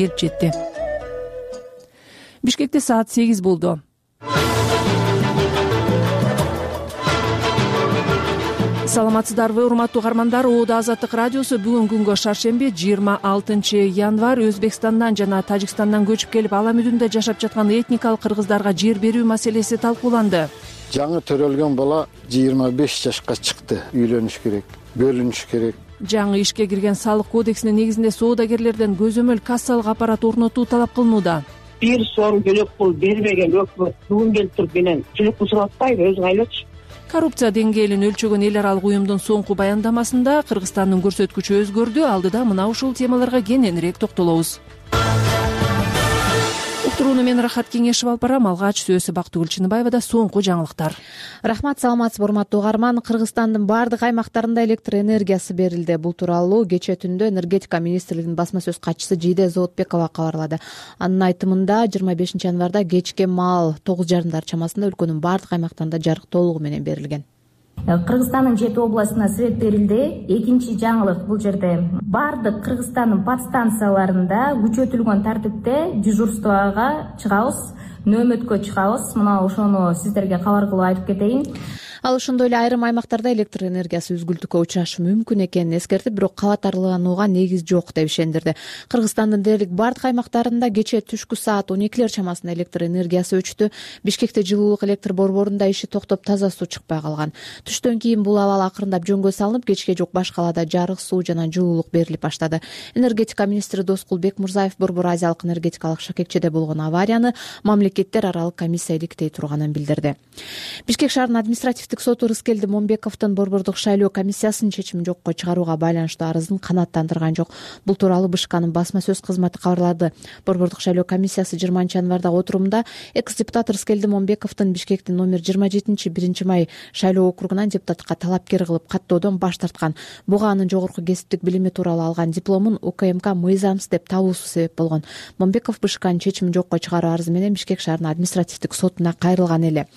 келип жетти. Бишкекте саат 8 болду. Саламатсыздарбы, урматтуу угармандар. Оода Азаттык радиосу бүгүнкү күнгө шаршемби 26 январь Өзбекстандан жана Тажикстандан көчүп келип ала мүдүндө жашап жаткан этникалык кыргыздарга жер берүү маселеси талкууланды. Жаңы төрөлгөн бала 25 жашка чыкты. Үйлөнүш керек, бөлүнүш керек. Жаңы ишке кирген салык кодексинин негизинде соодагерлерден көзөмөл кассалык аппарат орнотуу талап кылынууда. Бир сом төлөп пул бербеген өкмөт бүгүн келип туруп менен төлөп пул сурап атпайбы, өзүң айлачы. Коррупция деңгээлин өлчөгөн эл аралык уюмдун соңку баяндамасында Кыргызстандын көрсөткүчү өзгөрдү. Алдыда мына ушул темаларга кененирээк токтолобуз. Уктурууну мен Рахат Кеңешев алып барам. Алгач сөзү Бактыгүл Чыныбаевада соңку жаңылыктар. Рахмат, саламатсызбы урматтуу угарман. Кыргызстандын баардык аймактарында электр энергиясы берилди. Бул тууралуу кечээ түндө энергетика министрлигинин басма сөз катчысы Жийде Зоотбекова кабарлады. Анын айтымында 25 январда кечке маал 9:30 чамасында өлкөнүн баардык аймактарында жарык толугу менен берилген. Кыргызстандын 7 областына свет берилди. Экинчи жаңылык бул жерде баардык Кыргызстандын подстанцияларында күчөтүлгөн тартипте дежурствага чыгабыз, нөөмөткө чыгабыз. Мына ошону сиздерге кабар кылып айтып кетейин. Ал ошондой эле айрым аймактарда электр энергиясы үзгүлтүккө учурашы мүмкүн экенин эскертип, бирок кабатарланууга негиз жок деп ишендирди. Кыргызстандын дээрлик баардык аймактарында кечээ түшкү саат 12 чамасында электр энергиясы өчтү. Бишкекте жылуулук электр борборунда иши токтоп, таза суу чыкпай калган. Түштөн кийин бул абал акырындап жөнгө салынып, кечке жок баш калаада жарык, суу жана жылуулук берилип баштады. Энергетика министри Доскул Бекмурзаев Борбор Азиялык энергетикалык шакекчеде болгон аварияны мамлекеттер аралык комиссия иликтей турганын билдирди. Бишкек шаарынын административдик соту Рыскелди Момбековдун борбордук шайлоо комиссиясынын чечимин жокко чыгарууга байланыштуу арызын канааттандырган жок. Бул тууралуу БШКнын басма сөз кызматы кабарлады. Борбордук шайлоо комиссиясы 20 январдагы отурумда экс-депутат Рыскелди Момбековдун Бишкектин номер 27 1 май шайлоо округунан депутатка талапкер кылып каттоодон баш тарткан. Буга анын жогорку кесиптик билими тууралуу алган дипломун УКМК мыйзамсыз деп табуусу себеп болгон. Момбеков БШКнын чечимин жокко чыгаруу арызы менен Бишкек шаарынын административдик сотуна кайрылган эле.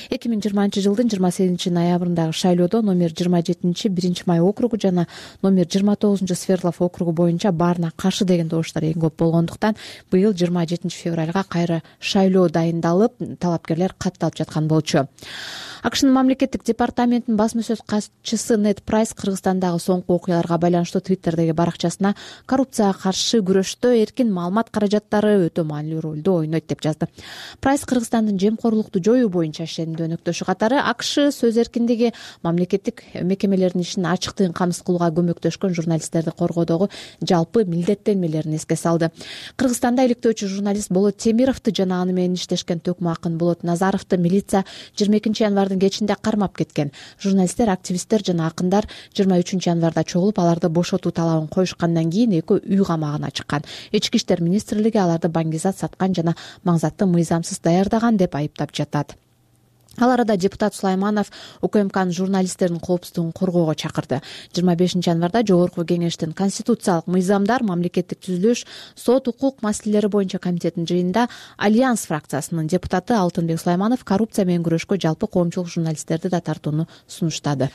2020 жылдын 28 ноябрындагы шайлоодо номер 27 1 май округу жана номер 29 Свердлов округу боюнча баарына каршы деген добуштар эң көп болгондуктан быйыл 27 февралга кайра шайлоо дайындалып, талапкерлер катталып жаткан болчу. АКШнын мамлекеттик департаментинин басма сөз катчысы Нед Прайс Кыргызстандагы соңку окуяларга байланыштуу Твиттердеги баракчасына коррупцияга каршы күрөштө эркин маалымат каражаттары өтө маанилүү ролду ойнойт деп жазды. Прайс Кыргызстандын жемкорлукту жоюу боюнча ишенимдүү өнөктөшү катары АКШ сөз эркиндиги, мамлекеттик мекемелердин ишин ачыктыгын камсыз кылууга көмөктөшкөн журналисттерди коргоодогу жалпы милдеттенмелерин эске салды. Кыргызстанда иликтөөчү журналист Болот Темировду жана аны менен иштешкен төкмө акын Болот Назаровду милиция 22 январдын кечинде кармап кеткен. Журналисттер, активисттер жана акындар 23 январда чогулуп, аларды бошотуу талабын коюшкандан кийин экөө үй камагына чыккан. Ички иштер министрлиги аларды баңгизат саткан жана маңзатты мыйзамсыз даярдаган деп айыптап жатат. Ал арада депутат Сулайманов УКМКнын журналисттердин коопсуздугун коргоого чакырды. 25 январда жогорку кеңештин конституциялык мыйзамдар, мамлекеттик түзүлүш, сот, укук маселелери боюнча комитетинин жыйынында Альянс фракциясынын депутаты Алтынбек Сулайманов коррупция менен күрөшкө жалпы коомчулук журналисттерди да тартууну сунуштады.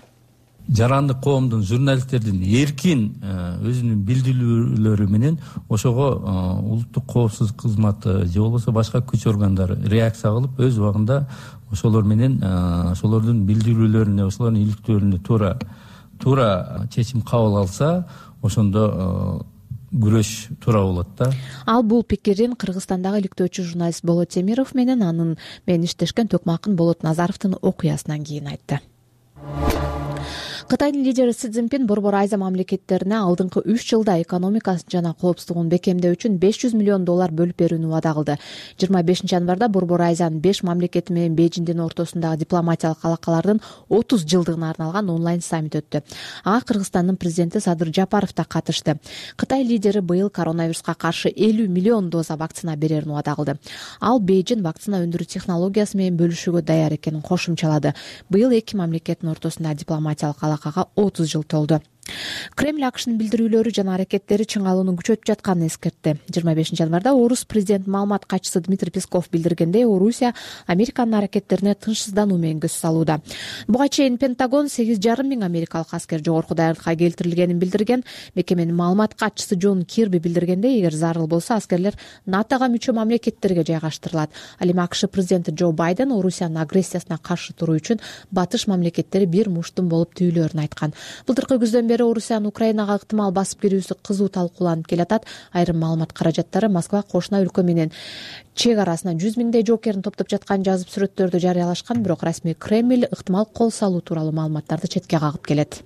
Жарандык коомдун, журналисттердин эркин өзүнүн билдирүүлөрү менен ошого улуттук коопсуздук кызматы же болбосо башка күч органдары реакция кылып, өз убагында ошолор менен ошолордун билдирүүлөрүнө, ошолордун иликтөөлөрүнө туура чечим кабыл алса, ошондо күрөш туура болот да. Ал бул пикирин Кыргызстандагы иликтөөчү журналист Болот Темиров менен анын менен иштешкен төкмө акын Болот Назаровдун окуясынан кийин айтты. Кытайдын лидери Си Цзиньпин Борбор Азия мамлекеттерине алдыңкы 3 жылда экономикасы жана коопсуздугун бекемдөө үчүн $500 миллион бөлүп берүүнү убада кылды. 25 январда Борбор Азиянын 5 мамлекети менен Бейжиңдин ортосундагы дипломатиялык алакалардын 30 жылдыгына арналган онлайн саммит өттү. Ага Кыргызстандын президенти Садыр Жапаров да катышты. Кытай лидери быйыл коронавируска каршы 50 миллион доза вакцина берерин убада кылды. Ал Бейжиң вакцина өндүрүү технологиясы менен бөлүшүүгө даяр экенин кошумчалады. Быйыл эки мамлекеттин ортосунда дипломатиялык 30 жыл толду. Кремль АКШнын билдирүүлөрү жана аракеттери чыңалууну күчөтүп жатканын эскертти. 25 январда орус президент маалымат катчысы Дмитрий Песков билдиргендей, Орусия Американын аракеттерине тынчсыздануу менен көз салууда. Буга чейин Пентагон 8,5 миң америкалык аскер жогорку даярдыкка келтирилгенин билдирген. Мекеменин маалымат катчысы Джон Кирби билдиргендей, эгер зарыл болсо аскерлер НАТОга мүчө мамлекеттерге жайгаштырылат. Ал эми АКШ президенти Джо Байден Орусиянын агрессиясына каршы туруу үчүн батыш мамлекеттери бир муштум болуп түйүлөрүн айткан. Былтыркы күздөн бери Орусиянын Украинага ыктымал басып кирүүсү кызуу талкууланып келатат. Айрым маалымат каражаттары Москва кошуна өлкө менен чек арасына 100 миңдей жоокерин топтоп жатканын жазып, сүрөттөрдү жарыялашкан. Бирок расмий Кремль ыктымал кол салуу тууралуу маалыматтарды четке кагып келет.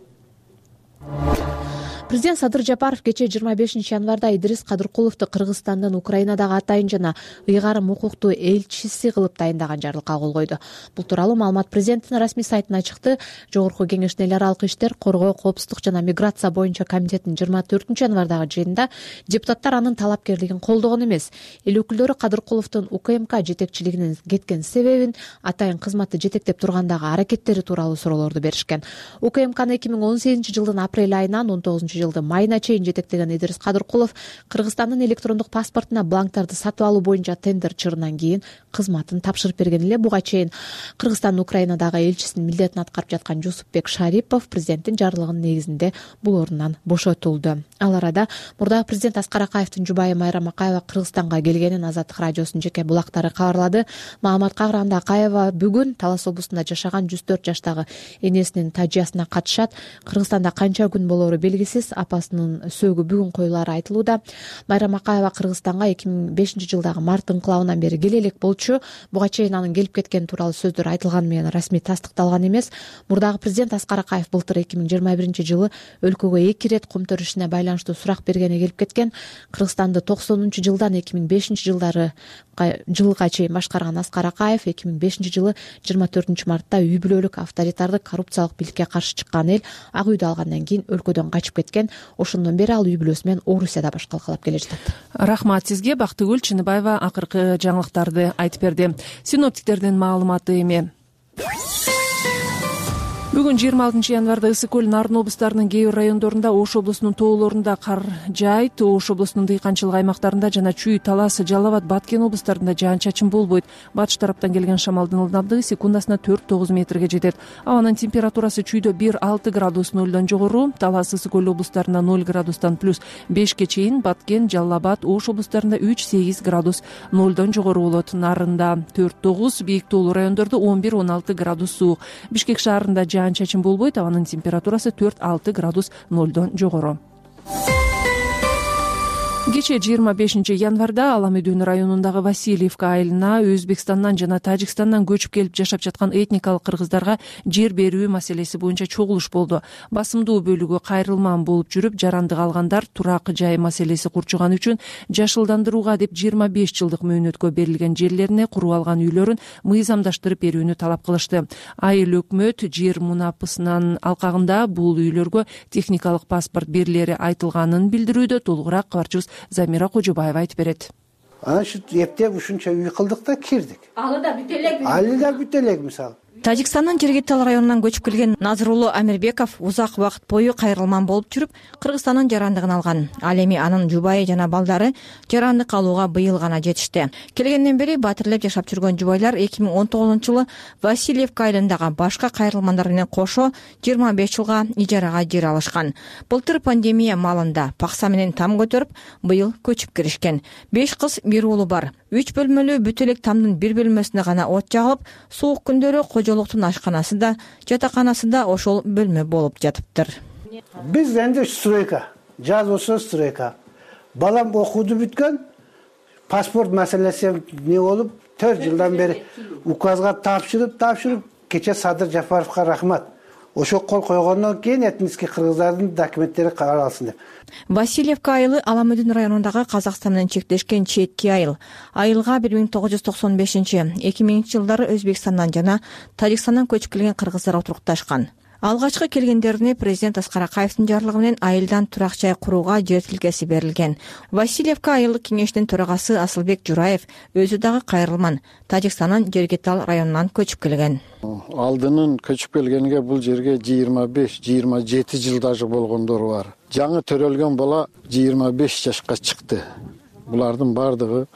Президент Садыр Жапаров кечээ 25 январда Идрис Кадыркуловду Кыргызстандын Украинадагы атайын жана ыйгарым укуктуу элчиси кылып дайындаган жарлыкка кол койду. Бул тууралуу маалымат президенттин расмий сайтына чыкты. Жогорку Кеңештин эл аралык иштер, коргоо, коопсуздук жана миграция боюнча комитетинин 24 январдагы жыйынында депутаттар анын талапкерлигин колдогон эмес. Эл өкүлдөрү Кадыркуловдун УКМК жетекчилигинен кеткен себебин, атайын кызматты жетектеп тургандагы аракеттери тууралуу суроолорду беришкен. УКМКны 2018 жылдын апрель айынан 19 жылдын майына чейин жетектеген Идрис Кадыркулов Кыргызстандын электрондук паспортуна бланктарды сатып алуу боюнча тендер чырынан кийин кызматын тапшырып берген эле. Буга чейин Кыргызстандын Украинадагы элчисинин милдетин аткарып жаткан Жусупбек Шарипов президенттин жарлыгынын негизинде бул орундан бошотулду. Ал арада мурдагы президент Аскар Акаевдин жубайы Майрам Акаева Кыргызстанга келгенин Азаттык радиосунун жеке булактары кабарлады. Маалыматка караганда Акаева бүгүн Талас облусунда жашаган 104 жаштагы энесинин тажыясына катышат. Кыргызстанда канча күн болору белгисиз. Апасынын сөөгү бүгүн коюлары айтылууда. Майрам Акаева Кыргызстанга 2005 жылдагы март инкылабынан бери келе элек болчу. Буга чейин анын келип кеткени тууралуу сөздөр айтылганы менен расмий тастыкталган эмес. Мурдагы президент Аскар Акаев былтыр 2021 жылы өлкөгө 2 ирет кум төрүшүнө байланыштуу сурак бергени келип кеткен. Кыргызстанды 90-жылдан 2005 жылга чейин башкарган Аскар Акаев 2005 жылы 24 мартта үй бүлөлүк авторитардык коррупциялык бийликке каршы чыккан эл ак үйдү алгандан кийин өлкөдөн качып кеткен. Ошондон бери ал үй бүлөсү менен Орусияда баш калкалап келе жатат. Рахмат сизге. Бактыгүл Чыныбаева акыркы жаңылыктарды айтып берди. Синоптиктердин маалыматы эми. Бүгүн 26 январда Ысык көл, Нарын облустарынын кээ бир райондорунда, Ош облусунун тоолорунда кар жаайт. Ош облусунун дыйканчылык аймактарында жана Чүй, Талас, Жалал Абад, Баткен облустарында жаан-чачын болбойт. Батыш тараптан келген шамалдын ылдамдыгы секундасына 4-9 метрге жетет. Абанын температурасы Чүйдө 1-6 градус нөлдөн жогору, Талас, Ысык көл облустарында 0 градустан плюс 5ке чейин, Баткен, Жалал Абад, Ош облустарында 3-8 градус нөлдөн жогору болот. Нарында 4-9, бийик тоолуу райондордо 11-16 градус суук. Бишкек шаарында жаан-чачын болбойт. Абанын температурасы 4-6 градус нөлдөн жогору. Кечээ 25 январда Аламүдүн районундагы Васильевка айылына Өзбекстандан жана Тажикстандан көчүп келип жашап жаткан этникалык кыргыздарга жер берүү маселеси боюнча чогулуш болду. Басымдуу бөлүгү кайрылман болуп жүрүп, жарандык алгандар турак жай маселеси курчуган үчүн жашылдандырууга деп 25 жылдык мөөнөткө берилген жерлерине куруп алган үйлөрүн мыйзамдаштырып берүүнү талап кылышты. Айыл өкмөт жер мунапысынын алкагында бул үйлөргө техникалык паспорт берилери айтылганын билдирүүдө. Толугураак кабарчыбыз Замира Кожобаева айтып берет. Анан эптеп ушунча үй кылдык да кирдик. Алы да бүт элек мисалы. Тажикстандын Жергетал районунан көчүп келген Назырулу Амирбеков узак убакыт бою кайрылман болуп жүрүп, Кыргызстандын жарандыгын алган. Ал эми анын жубайы жана балдары жарандык алууга быйыл гана жетишти. Келгенден бери батирлеп жашап жүргөн жубайлар 2019 жылы Васильевка айылындагы башка кайрылмандар менен кошо 25 жылга ижарага жер алышкан. Былтыр пандемия маалында пакса менен там көтөрүп, быйыл көчүп киришкен. 5 кыз, 1 уулу бар. 3 бөлмөлүү бүт элек тамдын 1 бөлмөсүнө гана от жагылып, суук күндөрү кожолуктун ашканасы да, жатаканасы да ошол бөлмө болуп жатыптыр. Биз энди стройка, жаз болсо стройка. Балам окууду бүткөн, паспорт маселеси не болуп, 4 жылдан бери указга тапшырып, кече Садыр Жапаровго рахмат. Ошо кол койгондон кийин этнический кыргыздардын документтери каралсын деп. Васильевка айылы Аламүдүн районундагы Казакстан менен чектешкен четки айыл. Айылга 1995-2000 жылдары Өзбекстандан жана Тажикстандан көчүп келген кыргыздар отурукташкан. Алгачкы келгендерине президент Аскар Акаевдин жарлыгы менен айылдан турак жай курууга жер тилкеси берилген. Васильевка айылдык кеңешинин төрагасы Асылбек Жураев өзү дагы кайрылман Тажикстандын Жергетал районунан көчүп келген. Алдынын көчүп келгенге бул жерге 25-27 жыл дажы болгондору бар. Жаңы төрөлгөн бала 25 жашка чыкты. Булардын бардыгы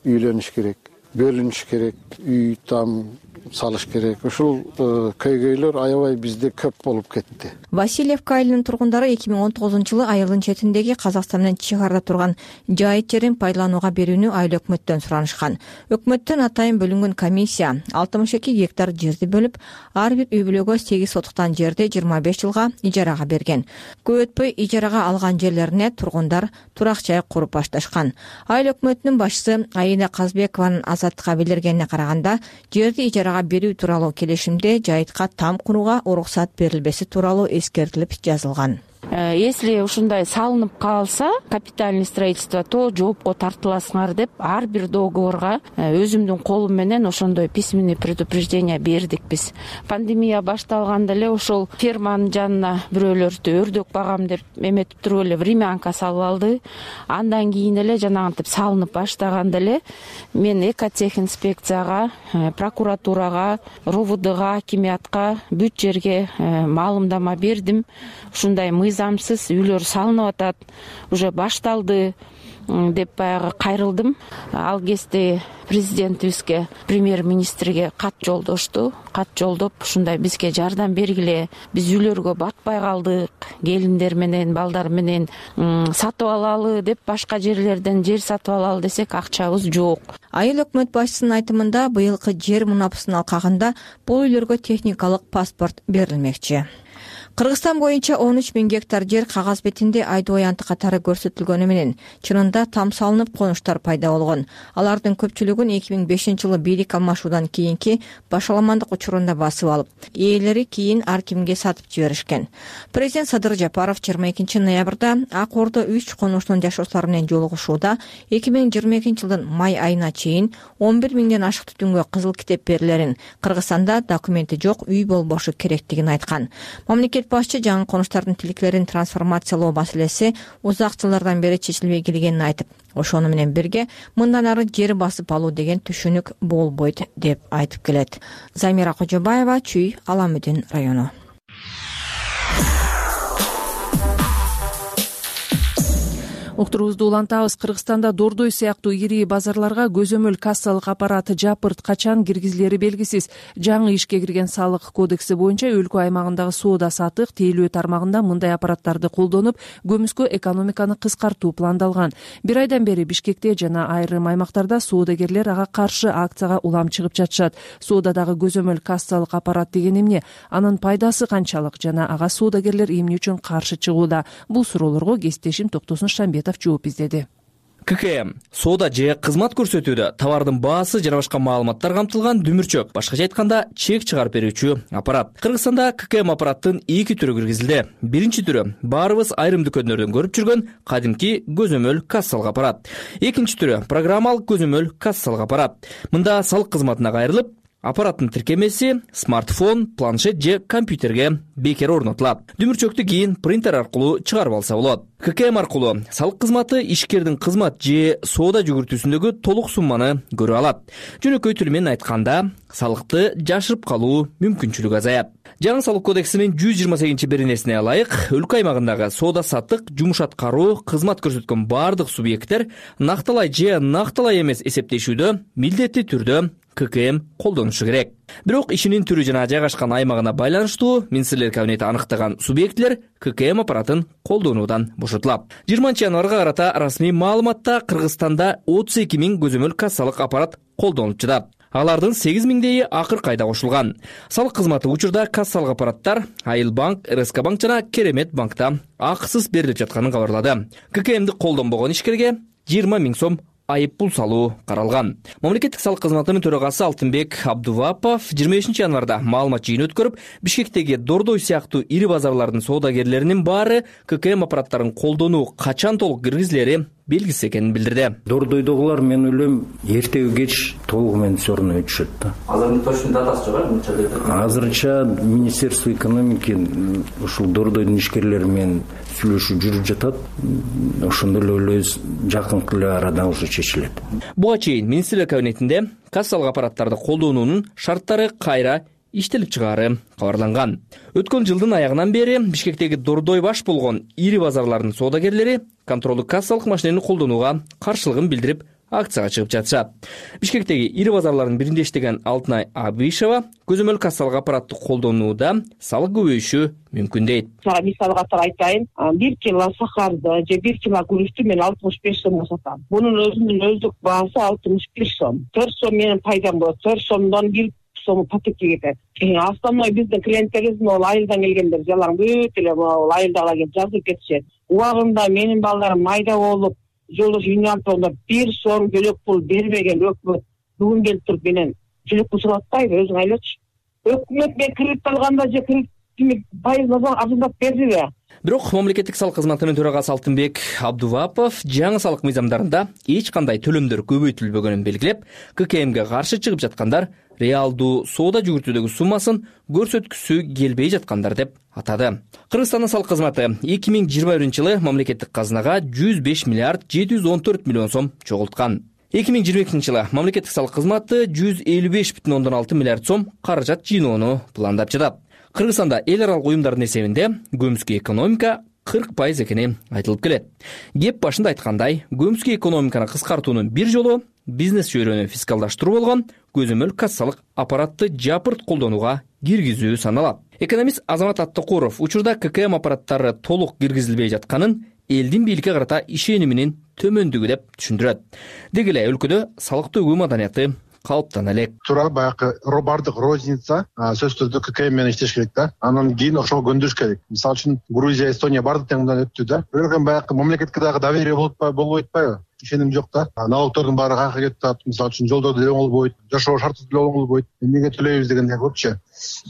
үйлөнүш керек, бөлүнүш керек, үй там салыш керек. Ушул көйгөйлөр аябай бизде көп болуп кетти. Васильевка айылынын тургундары 2019-жылы айылдын четиндеги Казакстан менен чек арада турган жайыт жерин пайдаланууга берүүнү айыл өкмөттөн суранышкан. Өкмөттөн атайын бөлүнгөн комиссия 62 гектар жерди бөлүп, ар бир үй бүлөгө 8 сотуктан жерди 25 жылга ижарага берген. Көп өтпөй ижарага алган жерлерине тургундар турак жай куруп башташкан. Айыл өкмөтүнүн башчысы Айна Казбекованын Азаттыкка билдиргенине караганда, жерди ижарага берүү тууралуу келишимде жайытка там курууга уруксат берилбеси тууралуу эскертилип жазылган. Если ушундай салынып калса, капитальный строительство, то жоопко тартыласыңар деп ар бир договорга өзүмдүн колум менен ошондой письменный предупреждение бердик биз. Пандемия башталганда эле ошол ферманын жанына бирөөлөрдү өрдөк багам деп эметип туруп эле времянка салып алды. Андан кийин эле жанагынтип салынып баштаганда эле мен экотехинспекцияга, прокуратурага, РОВДга, акимиатка бүт жерге маалымдама бердим. Ушундай мыйзамсыз үйлөр салынып атат, уже башталды деп баягы кайрылдым. Ал кезде президентибизге, премьер-министрге кат жолдошту. Кат жолдоп, ушундай бизге жардам бергиле, биз үйлөргө батпай калдык, келиндер менен, балдар менен сатып алалы деп башка жерлерден жер сатып алалы десек, акчабыз жок. Айыл өкмөт башчысынын айтымында быйылкы жер мунапысын алкагында бул үйлөргө техникалык паспорт берилмекчи. Кыргызстан боюнча 13 000 гектар жер кагаз бетинде айдоо аянты катары көрсөтүлгөнү менен чынында там салынып конуштар пайда болгон. Алардын көпчүлүгүн 2005-жылы бийлик алмашуудан кийинки башаламандык учурунда басып алып, ээлери кийин ар кимге сатып жиберишкен. Президент Садыр Жапаров 22 ноябрда Ак Ордо 3 конуштун жашоочулары менен жолугушууда 2022-жылдын май айына чейин 11 000ден ашык түтүнгө кызыл китеп берилерин, Кыргызстанда документи жок үй болбошу керектигин айткан. Мамлекет башчы жаңы конуштардын тиликтерин трансформациялоо маселеси узак жылдардан бери чечилбей келгенин айтып, ошону менен бирге мындан ары жер басып алуу деген түшүнүк болбойт деп айтып келет. Замира Кожобаева, Чүй, Аламүдүн району. Уктурубузду улантабыз. Кыргызстанда Дордой сыяктуу ири базарларга көзөмөл кассалык аппарат жапырт качан киргизилери белгисиз. Жаңы ишке кирген салык кодекси боюнча өлкө аймагындагы соода сатык, тейлөө тармагында мындай аппараттарды колдонуп, көмүскө экономиканы кыскартуу пландалган. Бир айдан бери Бишкекте жана айрым аймактарда соодагерлер ага каршы акцияга улам чыгып жатышат. Соодадагы көзөмөл кассалык аппарат деген эмне? Анын пайдасы канчалык жана ага соодагерлер эмне үчүн каршы чыгууда? Бул суроолорго кесиптешим Токтосун Шамбетов жооп издеди. ККМ соода же кызмат көрсөтүүдө товардын баасы жана башка маалыматтар камтылган дүмүрчөк, башкача айтканда чек чыгарып берүүчү аппарат. Кыргызстанда ККМ аппараттын 2 түрү киргизилди. Биринчи түрү баарыбыз айрым дүкөндөрдөн көрүп жүргөн кадимки көзөмөл кассалык аппарат. Экинчи түрү программалык көзөмөл кассалык аппарат. Мында салык кызматына кайрылып, аппараттын тиркемеси смартфон, планшет же компьютерге бекер орнотулат. Дүмүрчөктү кийин принтер аркылуу чыгарып алса болот. ККМ аркылуу салык кызматы ишкердин кызмат же соода жүгүртүүсүндөгү толук сумманы көрө алат. Жөнөкөй тил менен айтканда, салыкты жашырып калуу мүмкүнчүлүгү азаят. Жаңы салык кодексинин 128-беренесине ылайык, өлкө аймагындагы соода саттык, жумуш аткаруу, кызмат көрсөткөн бардык субъекттер накталай же накталай эмес эсептешүүдө милдеттүү түрдө ККМ колдонушу керек. Бирок ишинин түрү жана жайгашкан аймагына байланыштуу Министрлер кабинети аныктаган субъектлер ККМ аппаратын колдонуудан бошотулат. 20 январга карата расмий маалыматта Кыргызстанда 32 000 көзөмөл кассалык аппарат колдонулуп жатат. Алардын 8 000дейи акыркы айда кошулган. Салык кызматы учурда кассалык аппараттар Айыл банк, РСК банк жана Керемет банкта акысыз берилип жатканын кабарлады. ККМди колдонбогон ишкерге 20 000 сом айып пул салуу каралган. Мамлекеттик салык кызматынын төрагасы Алтынбек Абдувапов 25 январда маалымат жыйыны өткөрүп, Бишкектеги Дордой сыяктуу ири базарлардын соодагерлеринин баары ККМ аппараттарын колдонуу качан толук киргизилери белгисиз экенин билдирди. Дордойдогулар мен ойлойм эртеби кеч толугу менен все равно өтүшөт да. Азыр точно датасы жок азырынча Министерство экономики ушул Дордойдун ишкерлери менен сүйлөшүү жүрүп жатат. Ошондо эле ойлойбуз жакынкы эле арада уже чечилет. Буга чейин министрлер кабинетинде кассалык аппараттарды колдонуунун шарттары кайра иштелип чыгаары кабарланган. Өткөн жылдын аягынан бери Бишкектеги Дордой баш болгон ири базарлардын соодагерлери контролдук кассалык машинени колдонууга каршылыгын билдирип акцияга чыгып жатышат. Бишкектеги ири базарлардын биринде иштеген Алтынай Абишева көзөмөл кассалык аппаратты колдонууда салык көбөйүшү мүмкүн дейт. Мисалы катары айтайын, 1 кило сахарды же 1 кило күрүчтү мен 65 сомго сатам. Бунун өзүнүн өздүк баасы 61 сом. 4 сом менен пайдам болот. 4 сомдон 1 сом пакетке кетет. Основной биздин клиенттерибиз могу айылдан келгендер жалаң бүт эле могу айылдагылар келип жазып кетишет. Убагында менин балдарым майда болуп жолдош юниантонда 1 сом бөлөк пул бербеген өкмөт бүгүн келип туруп менен жөлөк пул сурап атпайбы, өзүң айлачы. Өкмөт мен кредит алганда же кредит пайызын арзандап бердиби? Бирок мамлекеттик салык кызматынын төрагасы Алтынбек Абдувапов жаңы салык мыйзамдарында эч кандай төлөмдөр көбөйтүлбөгөнүн белгилеп, ККМге каршы чыгып жаткандар реалдуу соода жүгүртүүдөгү суммасын көрсөткүсү келбей жаткандар деп атады. Кыргызстандын салык кызматы 2021-жылы мамлекеттик казынага 105 миллиард 714 миллион сом чогулткан. 2022-жылы мамлекеттик салык кызматы 155,6 миллиард сом каражат жыйноону пландап жатат. Кыргызстанда эл аралык уюмдардын эсебинде көмүскө экономика 40% экени айтылып келет. Кеп башында айткандай, көмүскө экономиканы кыскартуунун бир жолу бизнес чөйрөнү фискалдаштыруу болгон көзөмөл кассалык аппаратты жапырт колдонууга киргизүү саналат. Экономист Азамат Аттыкуров учурда ККМ аппараттары толук киргизилбей жатканын элдин бийликке карата ишениминин төмөндүгү деп түшүндүрөт. Деги эле өлкөдө салык төгүү маданияты калыптана элек. Туура баягы бардык розница сөзсүз түрдө ККМ менен иштеш керек да. Анан кийин ошого көндүрүш керек. Мисалы үчүн Грузия, Эстония бардык теңден өттү да. Бирок баягы мамлекетке дагы доверие болбой атпайбы? Ишеним жок да. Налогтордун баары кайка кетип атат. Мисалы үчүн жолдорду деле оңолбойт, жашоо шарты деле оңолбойт. Эмнеге төлөйбүз дегендей көпчө.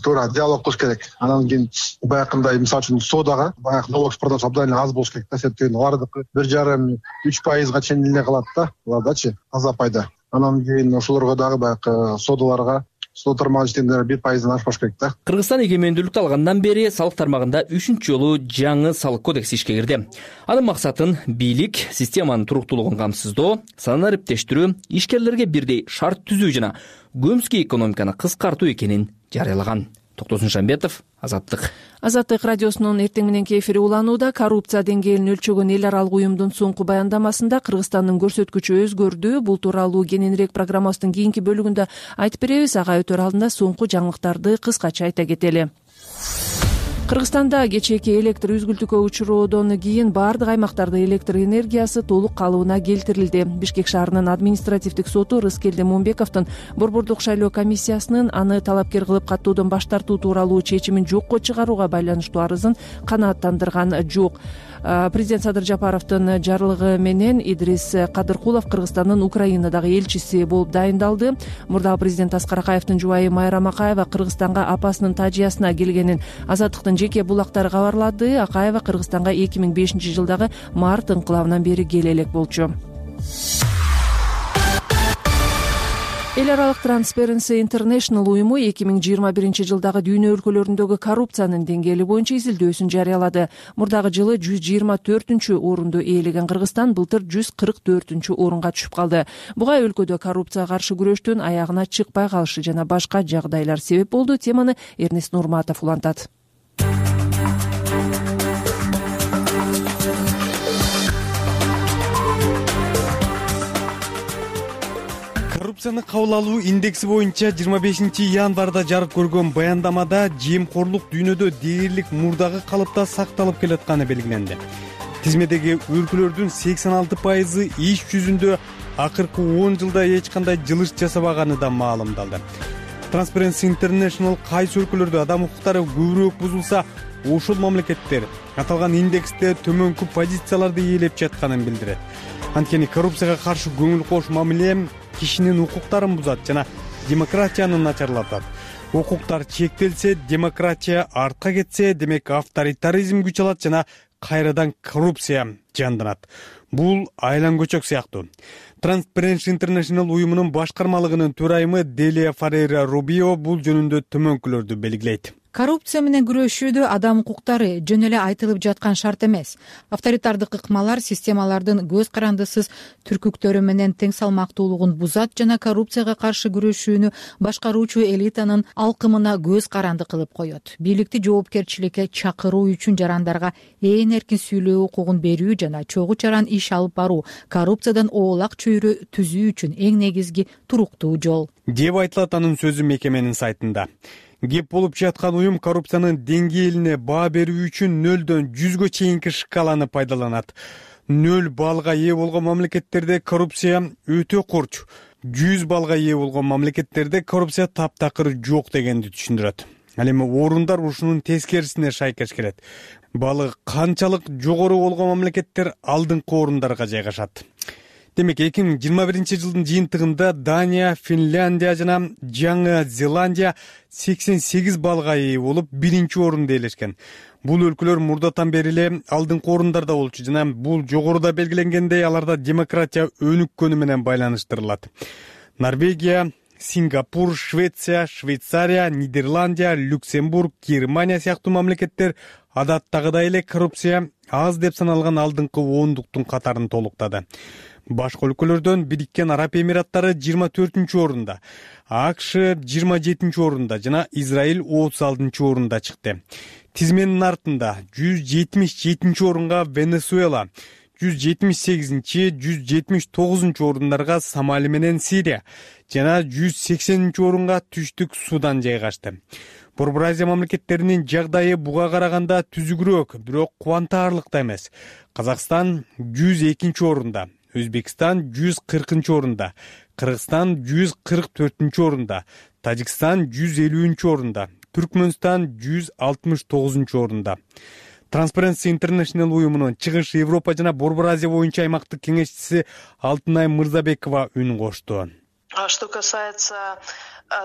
Туура диалог кылыш керек. Анан кийин баягындай мисалы үчүн соодага баягы налог продаж абдан аз болуш керек да. Себеби алардыкы 1,5-3% чейин эле калат да. Алардачы таза пайда. Анан кийин ошолорго дагы баягы соодаларга соода тармагы иштегендер 1%дан ашпаш керек да. Кыргызстан эгемендүүлүктү алгандан бери салык тармагында 3-чү жолу жаңы салык кодекси ишке кирди. Анын максатын бийлик системанын туруктуулугун камсыздоо, санын ариптештирүү, ишкерлерге бирдей шарт түзүү жана көмүскө экономиканы кыскартуу экенин жарыялаган. Токтосун Шамбетов, Азаттык. Азаттык радиосунун эртең мененки эфири уланууда. Коррупция деңгээлин өлчөгөн эл аралык уюмдун соңку баяндамасында Кыргызстандын көрсөткүчү өзгөрдү. Бул тууралуу кененирээк программабыздын кийинки бөлүгүндө айтып беребиз. Ага өтөр алдында соңку жаңылыктарды кыскача айта кетели. Кыргызстанда кечээки электр үзгүлтүүгө учуроодон кийин бардык аймактарда электр энергиясы толук калыбына келтирилди. Бишкек шаарынын административдик соту Рыскелди Момбековдун борбордук шайлоо комиссиясынын аны талапкер кылып каттоодон баш тартуу тууралуу чечимин жокко чыгарууга байланыштуу арызын канааттандырган жок. Президент Садыр Жапаровдун жарлыгы менен Идрис Кадыркулов Кыргызстандын Украинадагы элчиси болуп дайындалды. Мурдагы президент Аскар Акаевдин жубайы Майра Макаева Кыргызстанга апасынын тажыясына келгенин Азаттыктын жеке булактары кабарлады. Акаева Кыргызстанга 2005-жылдагы март ыңкылабынан бери келе элек болчу. Эл аралык Transparency International уюму 2021-жылдагы дүйнө өлкөлөрүндөгү коррупциянын деңгээли боюнча изилдөөсүн жарыялады. Мурдагы жылы 124-орунду ээлеген Кыргызстан былтыр 144-орунга түшүп калды. Буга өлкөдө коррупцияга каршы күрөштүн аягына чыкпай калышы жана башка жагдайлар себеп болду. Теманы Эрнест Нурматов улантат. Коррупцияны кабыл алуу индекси боюнча 25-январда жарык көргөн баяндамада жемкорлук дүйнөдө дээрлик мурдагы калыпта сакталып келатканы белгиленди. Тизмедеги өлкөлөрдүн 86% иш жүзүндө акыркы 10 жылда эч кандай жылыш жасабаганы да маалымдалды. Transparency International кайсы өлкөлөрдө адам укуктары көбүрөөк бузулса, ошол мамлекеттер аталган индексте төмөнкү позицияларды ээлеп жатканын билдирет. Анткени коррупцияга каршы көңүл кош мамиле кишинин укуктарын бузат жана демократияны начарлатат. Укуктар чектелсе, демократия артка кетсе, демек авторитаризм күч алат жана кайрадан коррупция жанданат. Бул айлан көчөк сыяктуу. Transparency International уюмунун башкармалыгынын төрайымы Делия Фарейра Рубио бул жөнүндө төмөнкүлөрдү белгилейт. Коррупция менен күрөшүүдө адам укуктары жөн эле айтылып жаткан шарт эмес. Авторитардык ыкмалар системалардын көз карандысыз түркүктөрү менен тең салмактуулугун бузат жана коррупцияга каршы күрөшүүнү башкаруучу элитанын алкымына көз каранды кылып коет. Бийликти жоопкерчиликке чакыруу үчүн жарандарга ээн эркин сүйлөө укугун берүү жана чогуу чаран иш алып баруу коррупциядан оолак чөйрө түзүү үчүн эң негизги туруктуу жол деп айтылат анын сөзү мекеменин сайтында. Кеп болуп жаткан уюм коррупциянын деңгээлине баа берүү үчүн 0-дөн 100гө чейинки шкаланы пайдаланат. 0 баллга ээ болгон мамлекеттерде коррупция өтө курч, 100 баллга ээ болгон мамлекеттерде коррупция таптакыр жок дегенди түшүндүрөт. Ал эми орундар ушунун тескерисине шайкеш келет. Балы канчалык жогору болгон мамлекеттер алдыңкы орундарга жайгашат. Демек 2021-жылдын жыйынтыгында Дания, Финляндия жана Жаңы Зеландия 88 баллга ээ болуп, 1-орунда ээлешкен. Бул өлкөлөр мурдатан бери эле алдыңкы орундарда болчу жана бул жогоруда белгиленгендей аларда демократия өнүккөнү менен байланыштырылат. Норвегия, Сингапур, Швеция, Швейцария, Нидерландия, Люксембург, Германия сыяктуу мамлекеттер адаттагыдай эле коррупция аз деп саналган алдыңкы 10-дуктун катарын толуктады. Башка өлкөлөрдөн Бириккен Араб Эмираттары 24-орунда, АКШ 27-орунда жана Израиль 36-орунда чыкты. Тизменин артында 177-орунга Венесуэла, 178-179-орундарга Сомали менен Сирия жана 180-орунга Түштүк Судан жайгашты. Борбор Азия мамлекеттеринин жагдайы буга караганда түзүгүрөөк, бирок кубантарлык да эмес. Казакстан 102-орунда, Өзбекстан 140-орунда, Кыргызстан 144-орунда, Тажикстан 150-орунда, Түркмөнстан 169-орунда. Transparency International уюмунун Чыгыш Европа жана Борбор Азия боюнча аймактык кеңешчиси Алтынай Мырзабекова үн кошту. Что касается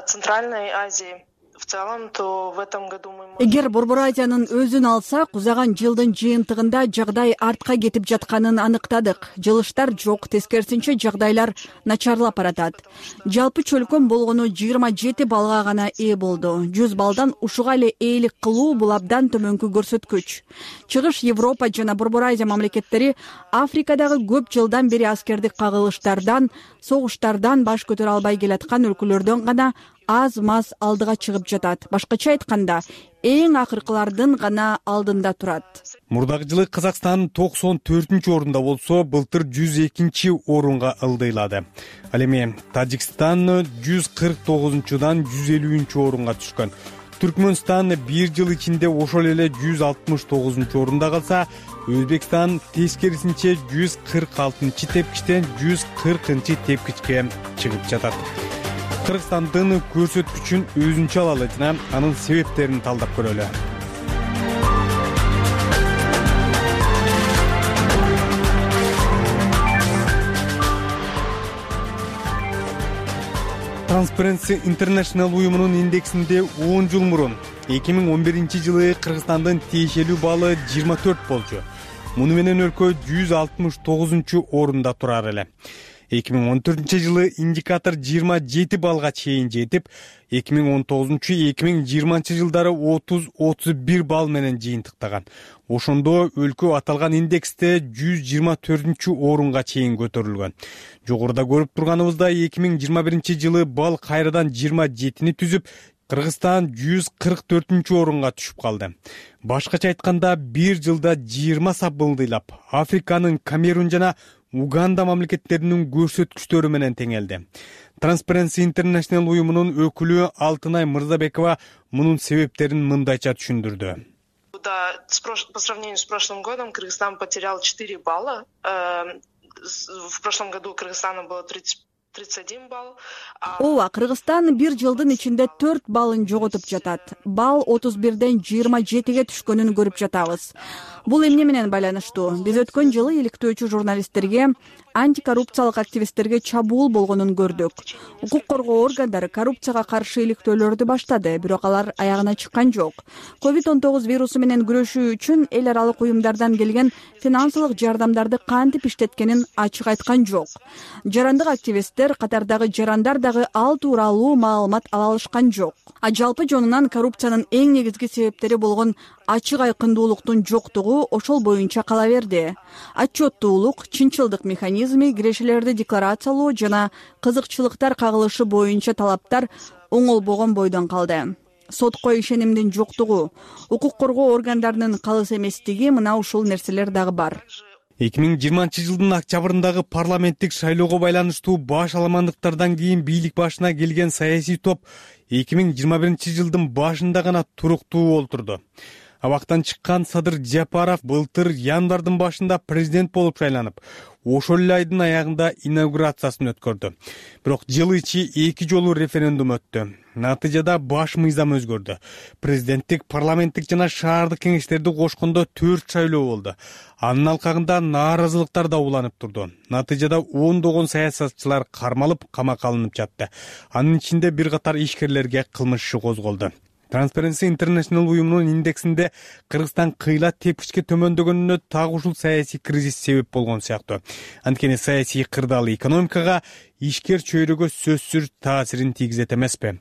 Центральной Азии, в целом, то в этом году мы... Эгер Борбор Азиянын өзүн алсак, узаган жылдын жыйынтыгында жагдай артка кетип жатканын аныктадык. Жылыштар жок, тескерисинче жагдайлар начарлап баратат. Жалпы чөлкөм болгону 27 баллга гана ээ болду. 100 баллдан ушуга эле ээлик кылуу бул абдан төмөнкү көрсөткүч. Чыгыш Европа жана Борбор Азия мамлекеттери Африкадагы көп жылдан бери аскердик кагылыштардан, согуштардан баш көтөрө албай келаткан өлкөлөрдөн гана аз-маз алдыга чыгып жатат. Башкача айтканда, эң акыркылардын гана алдында турат. Мурдагы жылы Казакстан 94-орунда болсо, былтыр 102-орунга ылдыйлады. Ал эми Тажикстан 149-дан 150-орунга түшкөн. Түркмөнстан 1 жыл ичинде ошол эле 169-орунда калса, Өзбекстан тескерисинче 146-тепкичтен 140-тепкичке чыгып жатат. Кыргызстандын көрсөткүчүн өзүнчө алалы жана анын себептерин талдап көрөлү. Transparency International уюмунун индексинде 10 жыл мурун 2011-жылы Кыргызстандын тиешелүү баллы 24 болчу. Муну менен өлкө 169-орунда турар эле. 2014-жылы индикатор 27 баллга чейин жетип, 2019-2020 жылдары 30-31 балл менен жыйынтыктаган. Ошондо өлкө аталган индексте 124-орунга чейин көтөрүлгөн. Жогоруда көрүп турганыбыздай 2021-жылы балл кайрадан 27-ни түзүп, Кыргызстан 144-орунга түшүп калды. Башкача айтканда, 1 жылда 20 сап ылдыйлап, Африканын Камерун жана Уганда мамлекеттеринин көрсөткүчтөрү менен теңелди. Transparency International уюмунун өкүлү Алтынай Мырзабекова мунун себептерин мындайча түшүндүрдү. По сравнению с прошлым годом Кыргызстан потерял 4 балла. В прошлом году Кыргызстана было 31 балл. Ооба, Кыргызстан 1 жылдын ичинде 4 баллын жоготуп жатат. Балл 31ден 27ге түшкөнүн көрүп жатабыз. Бул эмне менен байланыштуу? Биз өткөн жылы иликтөөчү журналисттерге антикоррупциялык активисттерге чабуул болгонун көрдүк. Укук коргоо органдары коррупцияга каршы иликтөөлөрдү баштады, бирок алар аягына чыккан жок. COVID-19 вирусу менен күрөшүү үчүн эл аралык уюмдардан келген финансылык жардамдарды кантип иштеткенин ачык айткан жок. Жарандык активисттер катардагы жарандар дагы ал тууралуу маалымат ала алышкан жок. Жалпы жонунан коррупциянын эң негизги себептери болгон ачык айкындуулуктун жоктугу ошол боюнча кала берди. Отчеттуулук, чынчылдык механизми, кирешелерди декларациялоо жана кызыкчылыктар кагылышы боюнча талаптар оңолбогон бойдон калды. Сотко ишенимдин жоктугу, укук коргоо органдарынын калыс эместиги, мына ушул нерселер дагы бар. 2020 октябрындагы парламенттик шайлоого байланыштуу баш аламандыктардан кийин бийлик башына келген саясий топ 2021 башында гана туруктуу олтурду. Абактан чыккан Садыр Жапаров былтыр январдын башында президент болуп шайланып, ошол эле айдын аягында инаугурациясын өткөрдү. Бирок жыл ичи 2 жолу референдум өттү. Натыйжада баш мыйзам өзгөрдү. Президенттик, парламенттик жана шаардык кеңештерди кошкондо 4 шайлоо болду. Анын алкагында нааразылыктар да уланып турду. Натыйжада ондогон саясатчылар кармалып, камакка алынып жатты. Анын ичинде бир катар ишкерлерге кылмыш иши козголду. Transparency International уюмунун индексинде Кыргызстан кыйла тепкичке төмөндөгөнүнө так ушул саясий кризис себеп болгон сыяктуу. Анткени саясий кырдаал экономикага, ишкер чөйрөгө сөзсүз таасирин тийгизет эмеспи?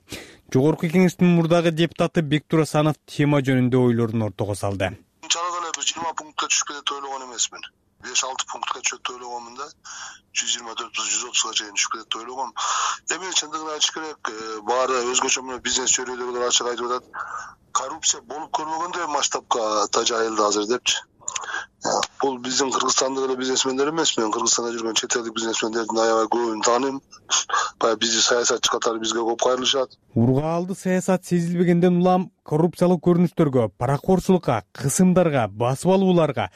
Жогорку кеңештин мурдагы депутаты Бектур Асанов тема жөнүндө ойлорун ортого салды. Чалак эле 20 пунктка түшүп кетет деп ойлогон эмесмин. 5-6 пунктка түшөт деп ойлогонмун да. 124-130га чейин түшүп кетет деп ойлогом. Эми чындыгын айтыш керек, баары өзгөчө мына бизнес чөйрөлөрү ачык айтып атат. Коррупция болуп көрмөгөндөй масштабка жайылды азыр депчи. Бул биздин Кыргызстандык эле бизнесмендер эмес, мен Кыргызстанда жүргөн чет элдик бизнесмендердин аябай көбүн тааныйм. Баягы бизди саясатчы катары бизге көп кайрылышат. Ургаалды саясат сезилбегенден улам коррупциялык көрүнүштөргө, паракорчулукка, кысымдарга, басып алууларга,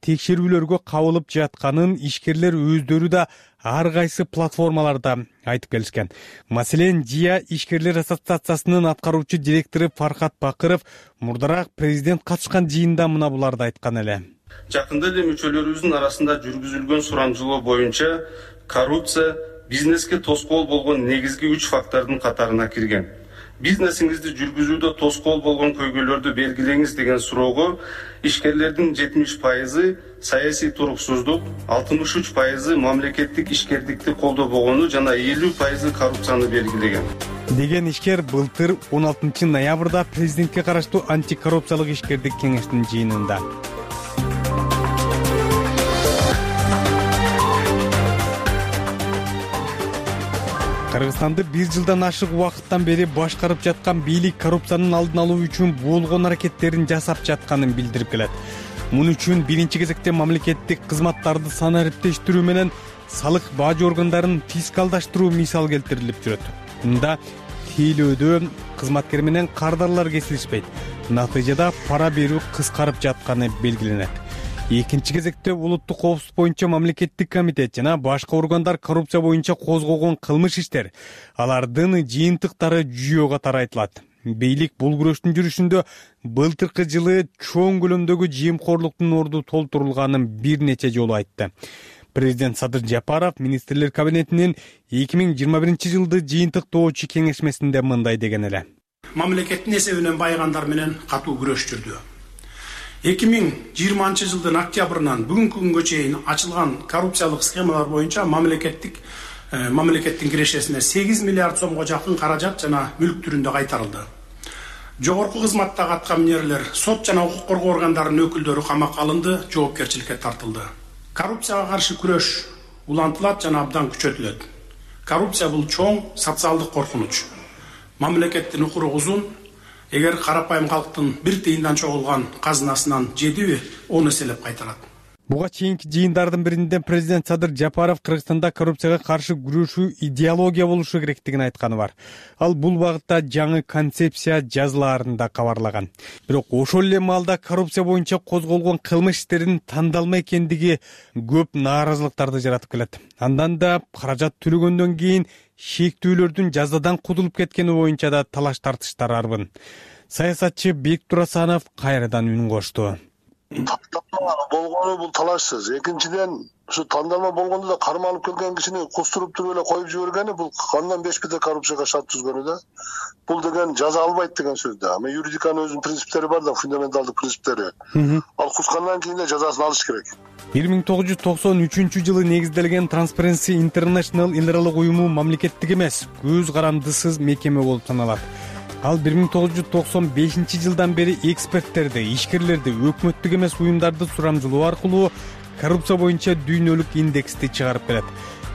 текшерүүлөргө кабылып жатканын ишкерлер өздөрү да ар кайсы платформаларда айтып келишкен. Маселен, ЖИА ишкерлер ассоциациясынын аткаруучу директору Фархат Бакыров мурдараак президент катышкан жыйында мына буларды айткан эле. Жакында эле мүчөлөрүбүздүн арасында жүргүзүлгөн сурамжылоо боюнча коррупция бизнеске тоскоол болгон негизги 3 фактордун катарына кирген. Бизнесиңизди жүргүзүүдө тоскоол болгон көйгөйлөрдү белгилеңиз деген суроого ишкерлердин 70% саясий туруксуздук, 63% мамлекеттик ишкердикти колдобогону жана 50% коррупцияны белгилеген. Деген ишкер былтыр 16 ноябрда президентке караштуу антикоррупциялык ишкердик кеңештин жыйынында. Кыргызстанды 1 жылдан ашык убакыттан бери башкарып жаткан бийлик коррупциянын алдын алуу үчүн болгон аракеттерин жасап жатканын билдирип келет. Муну үчүн биринчи кезекте мамлекеттик кызматтарды санариптештирүү менен салык бажы органдарын фискалдаштыруу мисал келтирилип жүрөт. Мында тейлөөдө кызматкер менен кардарлар кесилишпейт. Натыйжада пара берүү кыскарып жатканы белгиленет. Экинчи кезекте улуттук коопсуздук боюнча мамлекеттик комитет жана башка органдар коррупция боюнча козгогон кылмыш иштер, алардын жыйынтыктары жүйө катары айтылат. Бийлик бул күрөштүн жүрүшүндө былтыркы жылы чоң көлөмдөгү жыйымкорлуктун орду толтурулганын бир нече жолу айтты. Президент Садыр Жапаров министрлер кабинетинин 2021 жылды жыйынтыктоочу кеңешмесинде мындай деген эле. Мамлекеттин эсебинен байыгандар менен катуу күрөш жүрдү. 2020 жылдын октябрынан бүгүнкү күнгө чейин ачылган коррупциялык схемалар боюнча мамлекеттин кирешесине 8 миллиард сомго жакын каражат жана мүлк түрүндө кайтарылды. Жогорку кызматтагы аткаминерлер, сот жана укук коргоо органдарынын өкүлдөрү камакка алынды, жоопкерчиликке тартылды. Коррупцияга каршы күрөш улантылат жана абдан күчөтүлөт. Коррупция бул чоң социалдык коркунуч. Мамлекеттин укуру узун. Эгер карапайым калктын бир тыйындан чогулган казынасынан жедиби, оны эселеп кайтарат. Буга чейинки жыйындардын биринде президент Садыр Жапаров Кыргызстанда коррупцияга каршы күрөшүү идеология болушу керектигин айтканы бар. Ал бул багытта жаңы концепция жазылаарында кабарлаган. Бирок ошол эле маалда коррупция боюнча козголгон кылмыш иштеринин тандалма экендиги көп нааразылыктарды жаратып келет. Андан да каражат төлөгөндөн кийин шектүүлөрдүн жазадан кутулуп кеткени боюнча да талаш тартыштар арбын. Саясатчы Бектур Асанов кайрадан үн кошту. болгону бул талашсыз. Экинчиден ушу тандалма болгондо да кармалып келген кишини кустуруп туруп эле коюп жибергени бул кандан бешпете коррупцияга шарт түзгөнү да. Бул деген жаза албайт деген сөз да. Ама юридиканын өзүнүн принциптери бар да, фундаменталдык принциптери. Ал кускандан кийин да жазасын алыш керек. 1993-жылы негизделген Transparency International эл аралык уюму мамлекеттик эмес, көз карандысыз мекеме болуп саналат. Ал 1995-жылдан бери эксперттерди, ишкерлерди, өкмөттүк эмес уюмдарды сурамжылоо аркылуу коррупция боюнча дүйнөлүк индексти чыгарып келет.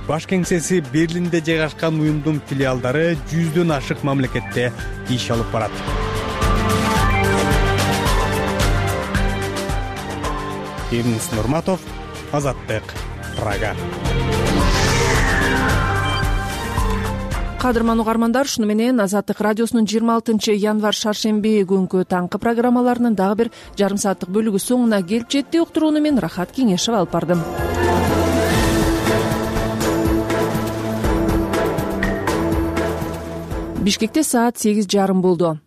Баш кеңсеси Берлинде жайгашкан уюмдун филиалдары 100дөн ашык мамлекетте иш алып барат. Эрнис Нурматов, Азаттык, Прага. Кадырман угармандар, шуну менен Азаттык радиосунун 26-январь шаршемби күнкү таңкы программаларынын дагы бир жарым сааттык бөлүгү соңуна келип жетти. Уктурууну мен Рахат Кеңешев алып бардым. Бишкекте саат 8:30 болду.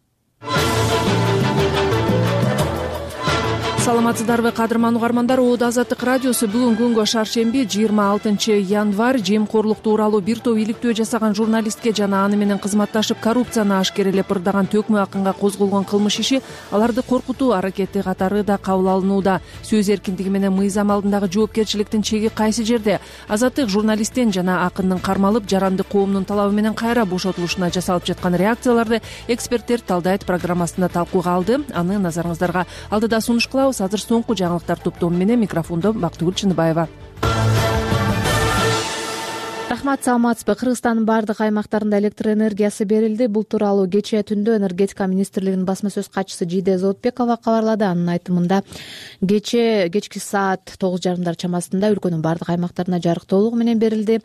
Саламатсыздарбы кадырман угармандар, Оодо Азаттык радиосу бүгүн күнгө шаршемби 26-январь жемкорлук тууралуу бир топ иликтөө жасаган журналистке жана аны менен кызматташып коррупцияны ашкерелеп ырдаган Төкмө Акынга козголгон кылмыш иши аларды коркутуу аракети катары да кабыл алынууда. Сөз эркиндиги менен мыйзам алдындагы жоопкерчиликтин чеги кайсы жерде? Азаттык журналисттен жана Акындын кармалып жаранды коомдун талабы менен кайра бошотулушуна жасалып жаткан реакцияларды эксперттер талдайт программасында талкууга алды. Аны назарыңыздарга алдыда сунуш кылабыз. Азыр соңку жаңылыктар топтому менен микрофондо Бактыгүл Чыныбаева. Рахмат, саламатсызбы? Кыргызстандын бардык аймактарында электр энергиясы берилди. Бул тууралуу кечээ түндө энергетика министрлигинин басма сөз катчысы Жийде Зоотбекова кабарлады. Анын айтымында кечки саат 9:30 чамасында өлкөнүн бардык аймактарына жарык толугу менен берилди.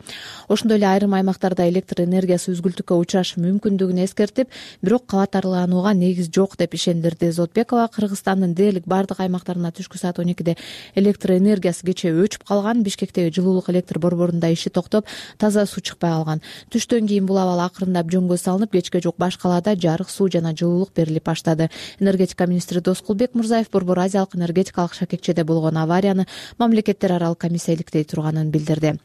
Ошондой эле айрым аймактарда электр энергиясы үзгүлтүккө учурашы мүмкүндүгүн эскертип, бирок кабаттарланууга негиз жок деп ишендирди Зоотбекова. Кыргызстандын дээрлик бардык аймактарына түшкү саат 12:de электр энергиясы кечээ өчүп калган. Бишкектеги жылуулук электр борборунда иши токтоп, таза суу чыкпай калган. Түштөн кийин бул абал акырындап жөнгө салынып, кечке жок баш калаада жарык, суу жана жылуулук берилип баштады. Энергетика министри Доскулбек Мурзаев Борбор Азиялык энергетикалык шакекчеде болгон аварияны мамлекеттер аралык комиссия иликтей турганын билдирди.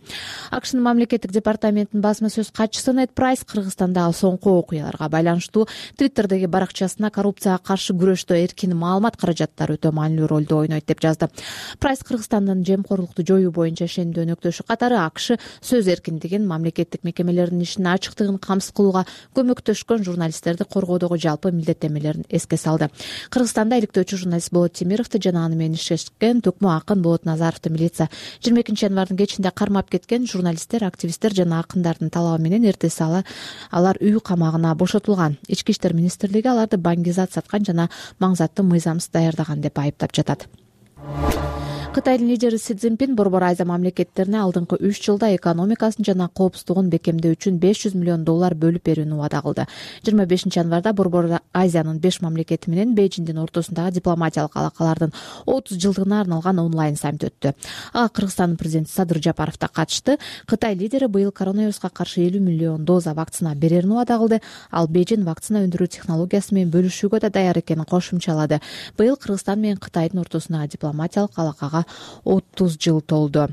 АКШнын мамлекеттик департаментинин басма сөз катчысы Нед Прайс Кыргызстандагы соңку окуяларга байланыштуу Twitter'деги баракчасына коррупцияга каршы күрөштө эркин маалымат каражаттары өтө маанилүү ролду ойнойт деп жазды. Прайс Кыргызстандын жемкорлукту жоюу боюнча ишендүү өнөктөшү катары АКШ сөз эркиндигин, мамлекеттик мекемелердин ишинин ачыктыгын камсыз кылууга көмөктөшкөн журналисттерди коргоодогу жалпы милдеттенмелерин эске салды. Кыргызстанда иликтөөчү журналист Болот Темировду жана аны менен иштешкен Төкмө Акын, Болот Назаровду милиция 22-январдын кечинде кармап кеткен. Журналисттер, активисттер жана акындардын талабы менен эртеси алар үй камагына бошотулган. Ички иштер министрлиги аларды баңгизат саткан жана маңзаттуу мыйзамсыз даярдаган деп айыптап жатат. Кытайдын лидери Си Цзиньпин Борбор Азия мамлекеттерине алдыңкы 3 жылда экономикасын жана коопсуздугун бекемдөө үчүн $500 миллион бөлүп берүүнү убада кылды. 25-январда Борбор Азиянын 5 мамлекети менен Бейжиңдин ортосундагы дипломатиялык алакалардын 30 жылдыгына арналган онлайн саммит өттү. Ага Кыргызстандын президенти Садыр Жапаров да катышты. Кытай лидери быйыл коронавируска каршы 50 миллион доза вакцина берерин убада кылды. Ал Бейжиң вакцина өндүрүү технологиясы менен бөлүшүүгө да даяр экенин кошумчалады. Быйыл Кыргызстан менен Кытайдын ортосундагы дипломатиялык алакага 30 жыл толду.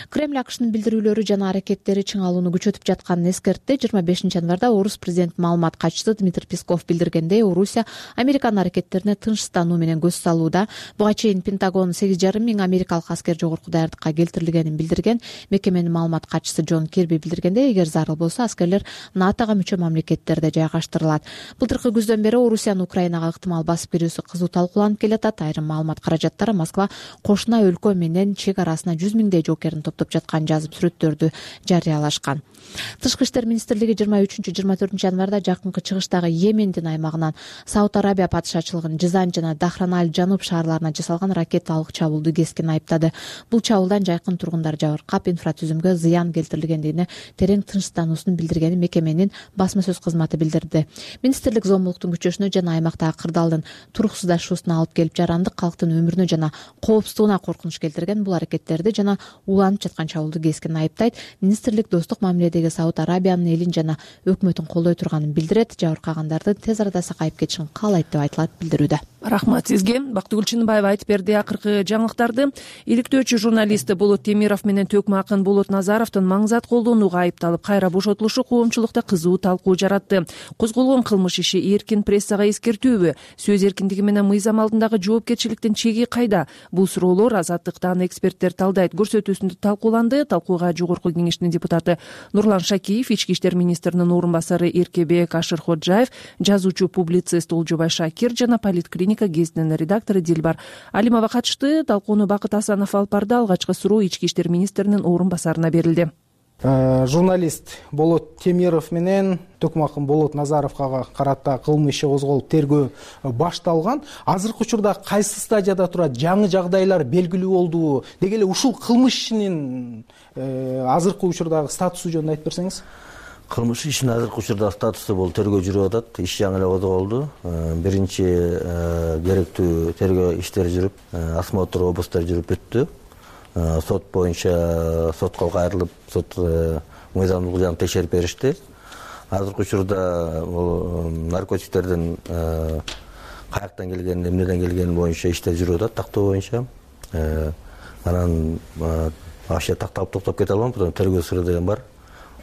Кремль АКШнын билдирүүлөрү жана аракеттери чыңалууну күчөтүп жатканын эскертти. 25-январда Орус президент маалымат катчысы Дмитрий Песков билдиргендей, Орусия Американын аракеттерине тынчстануу менен көз салууда. Буга чейин Пентагон 8,5 миң америкалык аскер жогорку даярдыкка келтирилгенин билдирген. Мекеменин маалымат катчысы Джон Кирби билдиргендей, эгер зарыл болсо аскерлер НАТОга мүчө мамлекеттерде жайгаштырылат. Былтыркы күздөн бери Орусиянын Украинага ыктымал басып кирүүсү кызуу талкууланып келатат. Айрым маалымат каражаттары Москва кошуна өлкө менен чек арасына 100 миңдей жоокерин топтоп жаткан жазып сүрөттөрдү жарыялашкан. Тышкы иштер министрлиги 23-24 январда жакынкы чыгыштагы Йемендин аймагынан Сауд Арабия падышачылыгынын Жизан жана Дахраналь жануб шаарларына жасалган ракеталык чабуулду кескин айыптады. Бул чабуулдан жайкын тургундар жабыркап, инфратүзүмгө зыян келтирилгендигине терең тынчтануусун билдиргенин мекеменин басма сөз кызматы билдирди. Министрлик зомбулуктун күчөшүнө жана аймактагы кырдаалдын туруксуздашуусуна алып келип, жарандык калктын өмүрүнө жана коопсуздугуна коркунуч келтирген бул аракеттерди жана уланып жаткан чабуулду кескин айыптайт. Министрлик достук мамиледеги Сауд Арабиянын элин жана өкмөтүн колдой турганын билдирет. Жабыркагандардын тез арада сакайып кетишин каалайт деп айтылат билдирүүдө. Рахмат сизге. Бактыгүл Чыныбаева айтып берди акыркы жаңылыктарды. Иликтөөчү журналист Болот Темиров менен төкмө акын Болот Назаровдун маңзат колдонууга айыпталып кайра бошотулушу коомчулукта кызуу талкуу жаратты. Козголгон кылмыш иши эркин прессага эскертүүбү? Сөз эркиндиги менен мыйзам алдындагы жоопкерчиликтин чеги кайда? Бул суроолор Азаттыктан эксперттер талдайт көрсөтүүсүндө талкууланды. Талкууга Жогорку Кеңештин депутаты Нурлан Шакиев, Ички иштер министринин орун басары Эркебек Ашырходжаев, жазуучу публицист Олжобай Шакир жана Политклиника гезитинин редактору Дилбар Алимова катышты. Талкууну Бакыт Асанов алып барды. Алгачкы суроо Ички иштер министринин орун басарына берилди. Журналист Болот Темиров менен төкмө акын Болот Назаровго карата кылмыш иши козголуп тергөө башталган. Азыркы учурда кайсы стадияда турат? Жаңы жагдайлар белгилүү болдубу? Деги эле ушул кылмыш ишинин азыркы учурдагы статусу жөнүндө айтып берсеңиз. Кылмыш ишинин азыркы учурда статусу бул тергөө жүрүп атат. Иш жаңы эле козголду. Биринчи керектүү тергөө иштери жүрүп, осмотр обыстар жүрүп бүттү. Сот боюнча сотко кайрылып, сот мыйзамдуулук жагын текшерип беришти. Азыркы учурда бул наркотиктердин каяктан келгени, эмнеден келгени боюнча иштер жүрүп атат, тактоо боюнча. Анан вообще такталып токтоп кете албайм, потому тергөө сыры деген бар.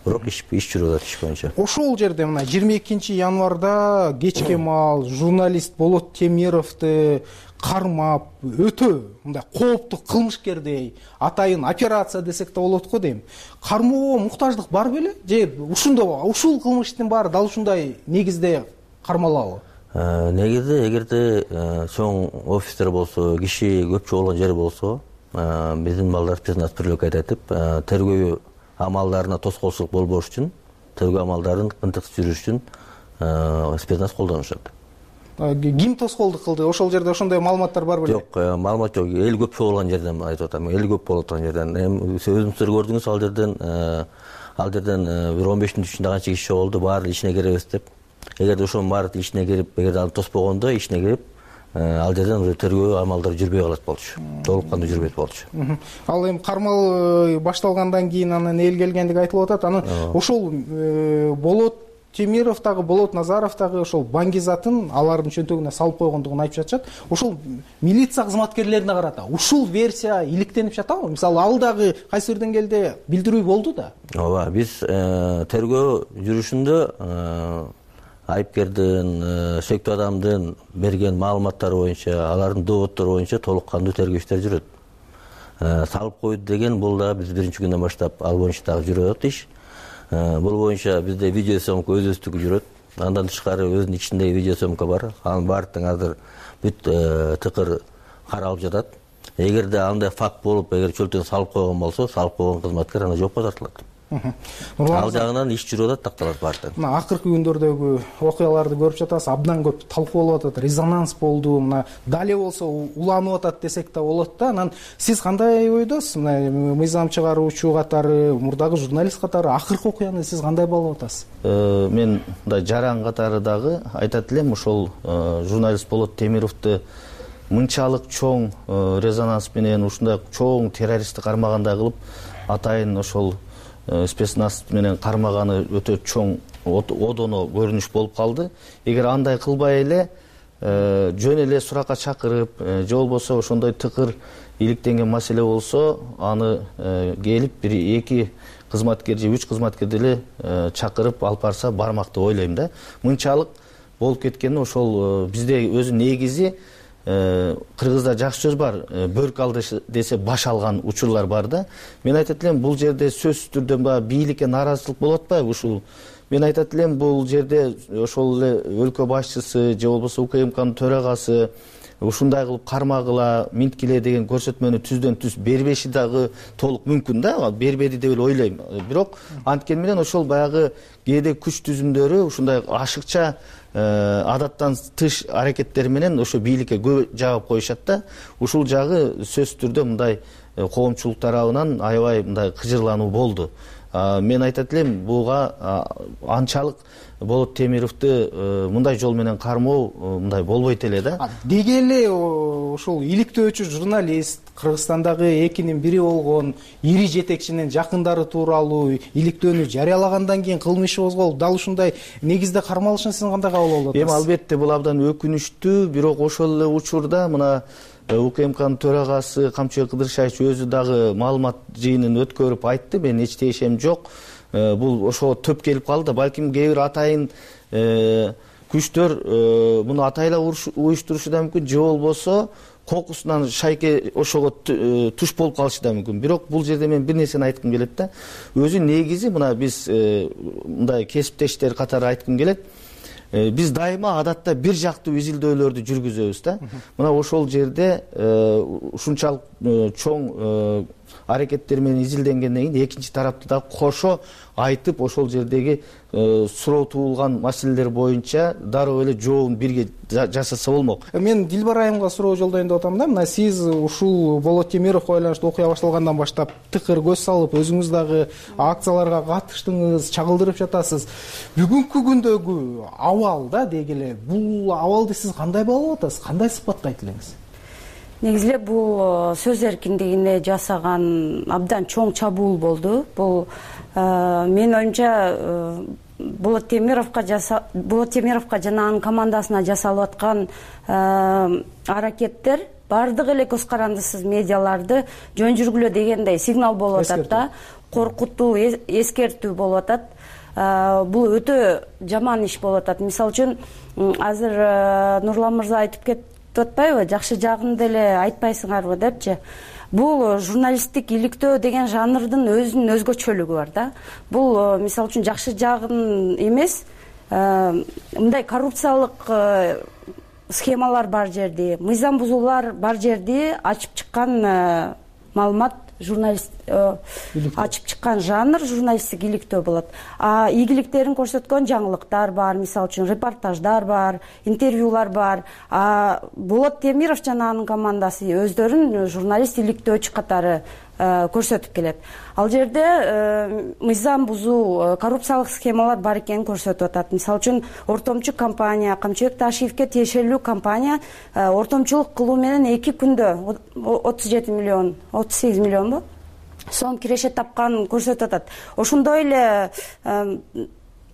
Бирок иш жүрүп атат иш боюнча. Ошол жерде мына 22 январда кечке маал журналист Болот Темировду кармап, өтө мындай кооптуу кылмышкердей атайын операция десек да болот го дейм. Кармоого муктаждык бар беле? Же ушул кылмыштын баары дал ушундай негизде кармалабы? Негизи эгерде чоң офистер болсо, киши көпчү болгон жер болсо, биздин балдар спецназ привлекать этип, тергөө амалдарына тоскоолчулук болбош үчүн, тергөө амалдарын ынтыксыз жүрүш үчүн спецназ колдонушат. Ким тоскоолдук кылды? Ошол жерде ошондой маалыматтар бар беле? Жок, маалымат жок. Эл көп болгон жерден айтып атам. Эл көп болуп аткан жерден. Өзүңүздөр көрдүңүз, ал жерден бир 15 мүнөт ичинде канча киши болду, баары ичине киребиз деп. Эгерде ошонун баары ичине кирип, эгерде аны тоспогондо ичине кирип, ал жерден тергөө амалдары жүрбөй калат болчу. Толук кандуу жүрбөйт болчу. Ал эми кармал башталгандан кийин анан эл келгендиги айтылып атат. Анан ошол Болот Темиров дагы, Болот Назаров дагы ошол баңгизатын алардын чөнтөгүнө салып койгондугун айтып жатышат. Ошол милиция кызматкерлерине карата ушул версия иликтенип жатабы? Мисалы, ал дагы кайсы бир деңгээлде билдирүү болду да. Ооба, биз тергөө жүрүшүндө айыпкердин, сөйктүү адамдын берген маалыматтары боюнча, алардын доводдору боюнча толук кандуу тергөө иштери жүрөт. Салып койду деген бул да биз биринчи күндөн баштап ал боюнча дагы жүрүп атат иш. Бул боюнча бизде видеосъемка өз-өзүндүгү жүрөт. Андан тышкары өзүнүн ичиндеги видеосъемка бар. Анын баардыгын азыр бүт тыкыр каралып жатат. Эгерде андай факт болуп, эгер чөлтөн салып койгон болсо, салып койгон кызматкер аны жоопко тартылат. Ал жагынан иш жүрүп атат, такталат баардыгы. Мына акыркы күндөрдөгү окуяларды көрүп жатасыз, абдан көп талкууланып атат, резонанс болду. Мына дале болсо уланып атат десек да болот да. Анан сиз кандай ойдосуз? Мына мыйзам чыгаруучу катары, мурдагы журналист катары акыркы окуяны сиз кандай баалап атасыз? Мен мындай жаран катары дагы айтат элем, ошол журналист Болот Темировду мынчалык чоң резонанс менен ушундай чоң террористти кармагандай кылып, атайын ошол спецназ менен кармаганы өтө чоң одоно көрүнүш болуп калды. Эгер андай кылбай эле жөн эле суракка чакырып, же болбосо ошондой тыкыр иликтенген маселе болсо, аны келип бир 2 кызматкер же 3 кызматкерди эле чакырып алып барса бармак деп ойлойм да. Мынчалык болуп кеткени ошол бизде өзү негизи кыргызда жакшы сөз бар, бөрк алды десе баш алган учурлар бар да. Мен айтат элем, бул жерде сөзсүз түрдө баягы бийликке нааразычылык болуп атпайбы ушул? Мен айтат элем, бул жерде ошол эле өлкө башчысы же болбосо УКМКнын төрагасы ушундай кылып кармагыла, минткиле деген көрсөтмөнү түздөн түз бербеши дагы толук мүмкүн да, бербеди деп эле ойлойм. Бирок анткени менен ошол баягы кээде күч түзүмдөрү ушундай ашыкча адаттан тыш аракеттер менен ошо бийликке көп жагып коюшат да. Ушул жагы сөзсүз түрдө мындай коомчулук тарабынан аябай мындай кыжырлануу болду. мен айтат элем буга анчалык Болот Темировду мындай жол менен кармоо мындай болбойт эле да. Деги эле ошол иликтөөчү журналист, Кыргызстандагы экинин бири болгон ири жетекчинин жакындары тууралуу иликтөөнү жарыялагандан кийин кылмыш козголуп, дал ушундай негизде кармалышын сиз кандай кабыл алып атасыз? Албетте бул абдан өкүнүчтүү, бирок ошол эле учурда мына УКМКнын төрагасы Камчыбек Кыдыршаевич өзү дагы маалымат жыйынын өткөрүп айтты, мен эч тиешем жок. Бул ошого төп келип калды. Балким кээ бир атайын күчтөр муну атайла уюштурушу да мүмкүн, же болбосо кокусунан шайке ошого туш болуп калышы да мүмкүн. Бирок бул жерде мен бир нерсени айткым келет да. Өзү негизи мына биз мындай кесиптештер катары айткым келет. Биз дайыма адатта бир жактуу изилдөөлөрдү жүргүзөбүз да. Мына ошол жерде ушунчалык чоң аракеттер менен изилденгенден кийин экинчи тарапты да кошо айтып, ошол жердеги суроо туулган маселелер боюнча дароо эле жообун бирге жасаса болмок. Мен Дилбар айымга суроо жолдоюн деп атам да. Мына сиз ушул Болот Темировго байланыштуу окуя башталгандан баштап тыкыр көз салып, өзүңүз дагы акцияларга катыштыңыз, чагылдырып жатасыз. Бүгүнкү күндөгү абал да деги эле, бул абалды сиз кандай баалап атасыз? Кандай сыпаттайт элеңиз? Негизи эле бул сөз эркиндигине жасаган абдан чоң чабуул болду. Бул менин оюмча Болот Темировго жана анын командасына жасалып аткан аракеттер баардыгы эле көз карандысыз медиаларды жөн жүргүлө дегендей сигнал болуп атат да, коркутуу, эскертүү болуп атат. Бул өтө жаман иш болуп атат. Мисалы үчүн азыр Нурлан мырза айтып кетип атпайбы, жакшы жагын деле айтпайсыңарбы депчи. Бул журналисттик иликтөө деген жанрдын өзүнүн өзгөчөлүгү бар да. Бул мисалы үчүн жакшы жагын эмес, мындай коррупциялык схемалар бар жерди, мыйзам бузуулар бар жерди ачып чыккан маалымат, журналист ачып чыккан жанр журналисттик иликтөө болот. Ийгиликтерин көрсөткөн жаңылыктар бар, мисалы үчүн репортаждар бар, интервьюлар бар. Болот Темиров жана анын командасы өздөрүн журналист иликтөөчү катары көрсөтүп келет. Ал жерде мыйзам бузуу, коррупциялык схемалар бар экенин көрсөтүп атат. Мисалы үчүн ортомчу компания, Камчыбек Ташиевке тиешелүү компания ортомчулук кылуу менен 2 күндө 37 миллион, 38 миллион сом киреше тапканын көрсөтүп атат. Ошондой эле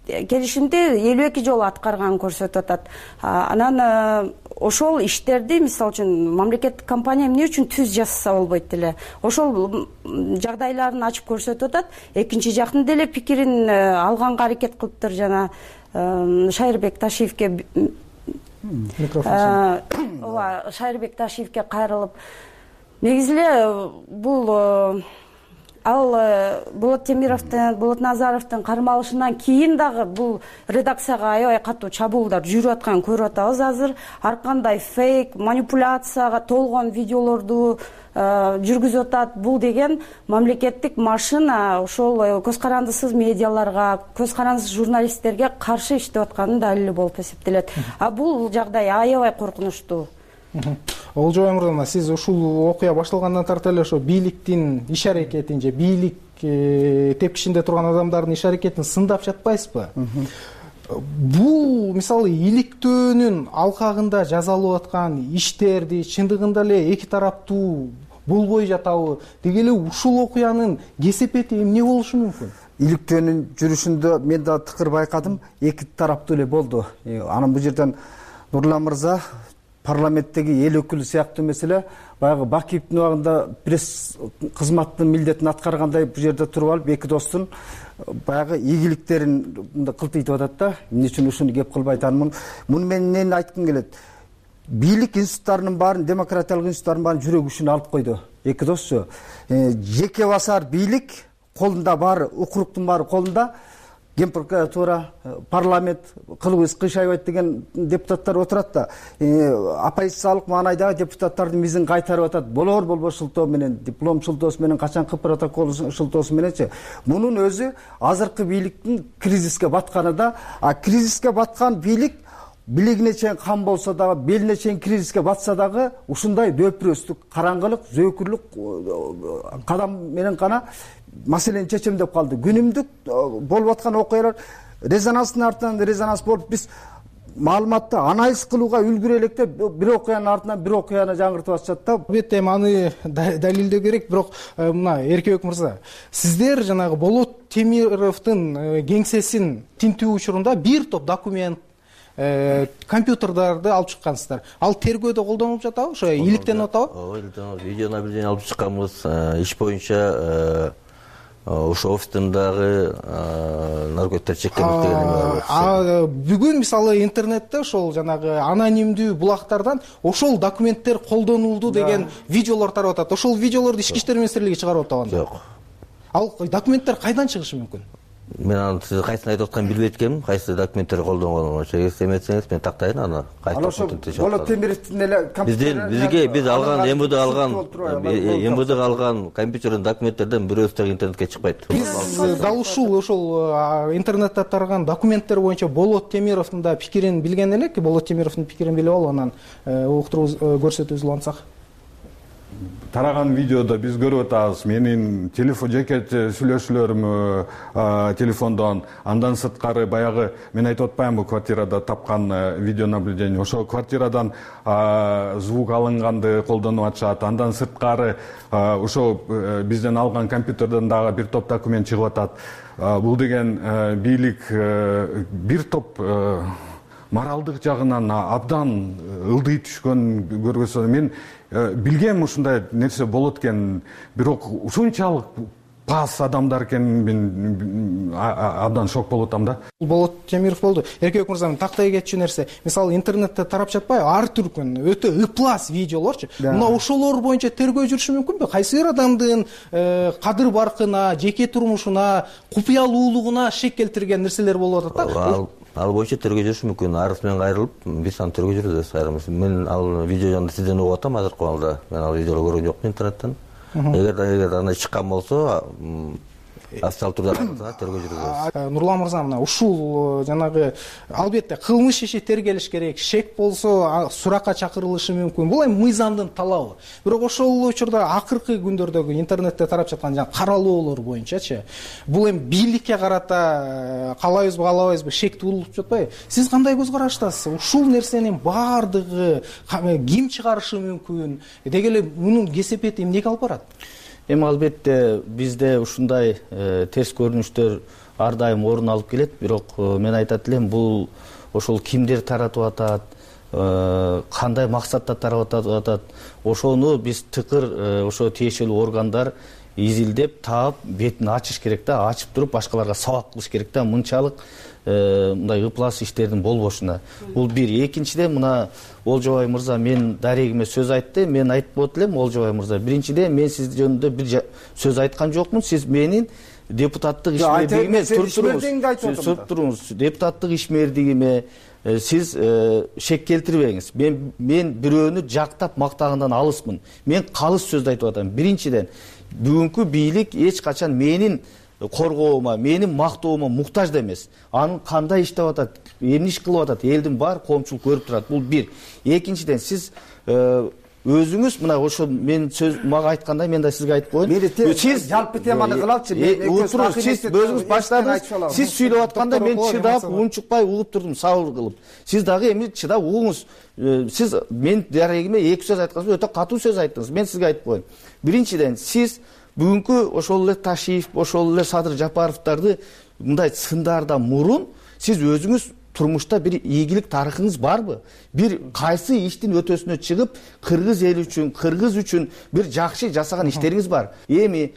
келишимди 52 жолу аткарганын көрсөтүп атат. Анан ошол иштерди, мисалы үчүн, мамлекеттик компания эмне үчүн түз жасаса болбойт эле. Ошол жагдайларын ачып көрсөтүп атат. Экинчи жактын деле пикирин алганга аракет кылыптыр. Жана Шайырбек Ташиевке Шайырбек Ташиевке кайрылып, негизи эле бул Болот Темировдун, Болот Назаровдун кармалышынан кийин дагы бул редакцияга аябай катуу чабуулдар жүрүп атканын көрүп атабыз азыр. Ар кандай фейк, манипуляцияга толгон видеолорду жүргүзүп атат. Бул деген мамлекеттик машина ошол көз карандысыз медиаларга, көз карандысыз журналисттерге каршы иштеп атканын далили болуп эсептелет. Бул жагдай аябай коркунучтуу. Олжобай мырза, сиз ушул окуя башталгандан тарта эле ошо бийликтин иш аракетин же бийлик тепкичинде турган адамдардын иш аракетин сындап жатпайсызбы? Бул мисалы иликтөөнүн алкагында жасалып аткан иштерди чындыгында эле эки тараптуу болбой жатабы? Деги эле ушул окуянын кесепети эмне болушу мүмкүн? Иликтөөнүн жүрүшүндө мен да тыкыр байкадым, эки тараптуу эле болду. Анан бул жерден Нурлан мырза парламенттеги эл өкүлү сыяктуу эмес эле баягы Бакиевдин убагында пресс кызматтын милдетин аткаргандай бул жерде туруп алып эки достун баягы ийгиликтерин кылтыйтып атат да. Эмне үчүн ушуну кеп кылбайт анын? Муну мен эмнени айткым келет? Бийлик институттарынын баарын, демократиялык институттардын баарын жүрөгү үчүн алып койду. Эки досчу. Жеке басар бийлик колунда баары, укуруктун баары колунда. Генпрокуратура, парламент, кылыбыз кыйшайбайт деген депутаттар отурат да. Оппозициялык маанайдагы депутаттардын мизин кайтарып атат. Болор болбос шылтоо менен, диплом шылтоосу менен, качанкы протокол шылтоосу мененчи. Мунун өзү азыркы бийликтин кризиске батканы да. Кризиске баткан бийлик билигине чейин кам болсо дагы, белине чейин кризиске батса дагы ушундай дөпүрөстүк, караңгылык, зөөкүрлүк кадам менен гана маселени чечем деп калды. Күнүмдүк болуп аткан окуялар резонанстын артынан резонанс болуп, биз маалыматты анализ кылууга үлгүрө элек деп бир окуянын артынан бир окуяны жаңыртып атышат да. Албетте эми аны далилдөө керек, бирок мына Эркебек мырза, сиздер жанагы Болот Темировдун кеңсесин тинтүү учурунда бир топ документ, компьютерлерди алып чыккансыздар. Ал тергөөдө колдонулуп жатабы? Ошо иликтенип атабы? Ооба, иликтенип. Видеонаблюдение алып чыкканбыз. Иш боюнча ошо офистиндагы наркотиктер чеккенбиз деген эме бар. Бүгүн мисалы интернетте ошол жанагы анонимдүү булактардан ошол документтер колдонулду деген видеолор тарап атат. Ошол видеолорду Ички иштер министрлиги чыгарып атабы анда? Жок. Ал документтер кайдан чыгышы мүмкүн? Мен аны сиз кайсысын айтып атканын билбейт экенмин. Кайсы документтер колдонгонун эметсеңиз мен тактайын аны. Болот Темировдун эле компьютер биз алган МВДга алган компьютердин документтерден бирөөсү дагы интернетке чыкпайт. Биз дал ушул интернетте тараган документтер боюнча Болот Темировдун да пикирин билген элек. Болот Темировдун пикирин билип алып, анан уктуруу көрсөтүүбүз улантсак. Тараган видеодо биз көрүп атабыз менин жеке сүйлөшүүлөрүм телефондон, андан сырткары баягы мен айтып атпаймынбы квартирада тапкан видеонаблюдение, ошол квартирадан звук алынганды колдонуп атышат. Андан сырткары ошол бизден алган компьютерден дагы бир топ документ чыгып атат. Бул деген бийлик бир топ моралдык жагынан абдан ылдый түшкөн көргөзсө, мен билгем ушундай нерсе болот экен, бирок ушунчалык пас адамдар экенин мен абдан шок болуп атам да. Болот Темиров болду. Эркебек мырза, тактай кетчү нерсе, мисалы интернетте тарап жатпайбы, ар түркүн өтө ыплас видеолорчу. Мына ошолор боюнча тергөө жүрүшү мүмкүнбү? Кайсы бир адамдын кадыр баркына, жеке турмушуна, купуялуулугуна шек келтирген нерселер болуп атат да. Ал боюнча тергөө жүрүшү мүмкүн. Арыз менен кайрылып, биз аны тергөө жүргүзөбүз айрымыз. Мен ал видеону сизден угуп атам азыркы убакта. Мен ал видеону көргөн жокмун интернеттен. Эгер андай чыккан болсо, официалдуу турда тергөө жүргүзөбүз. Нурлан мырза, мына ушул жанагы албетте кылмыш иши тергелиш керек. Шек болсо суракка чакырылышы мүмкүн. Бул эми мыйзамдын талабы. Бирок ошол учурда акыркы күндөрдөгү интернетте тарап жаткан жана каралоолор боюнчачы, бул эми бийликке карата каалайбызбы, каалабайбызбы шек туулуп жатпайбы? Сиз кандай көз караштасыз? Ушул нерсенин баардыгы ким чыгарышы мүмкүн? Деги эле мунун кесепети эмнеге алып барат? Эми албетте бизде ушундай терс көрүнүштөр ар дайым орун алып келет, бирок мен айтат элем, бул ошол кимдер таратып атат, кандай максатта таратып атат, ошону биз тыкыр ошо тиешелүү органдар изилдеп таап бетин ачыш керек да, ачып туруп башкаларга сабак кылыш керек да, мынчалык мындай ыплас иштердин болбошуна. Бул бир. Экинчиден, мына Олжобай мырза мен дарегиме сөз айтты, мен айтып болот элем Олжобай мырза. Биринчиден, мен сиз жөнүндө бир сөз айткан жокмун. Сиз менин депутаттык ишмердигиме туруңуз. Депутаттык ишмердигиме сиз шек келтирбеңиз. Мен бирөөнү жактап мактагандан алысмын. Мен калыс сөздү айтып атам. Биринчиден, бүгүнкү бийлик эч качан менин коргоома, менин мактоома муктаж да эмес. Анын кандай иштеп атат, эмне иш кылып атат, элдин баары коомчулук көрүп турат. Бул бир. Экинчиден, сиз өзүңүз мына ошо мен сөз мага айткандай мен да сизге айтып коеюн. Сиз жалпы теманы кылалычы. Сиз өзүңүз баштадыңыз. Сиз сүйлөп атканда мен чыдап, унчукпай угуп турдум, сабыр кылып. Сиз дагы эми чыдап угуңуз. Сиз мен дарегиме эки сөз айткансыз, өтө катуу сөз айттыңыз. Мен сизге айтып коеюн. Биринчиден, сиз бүгүнкү ошол эле Ташиев, ошол эле Садыр Жапаровдарды мындай сындардан мурун сиз өзүңүз турмушта бир ийгилик тарыхыңыз барбы? Бир кайсы иштин өтөсүнө чыгып, кыргыз эли үчүн, кыргыз үчүн бир жакшы жасаган иштериңиз бар? Эми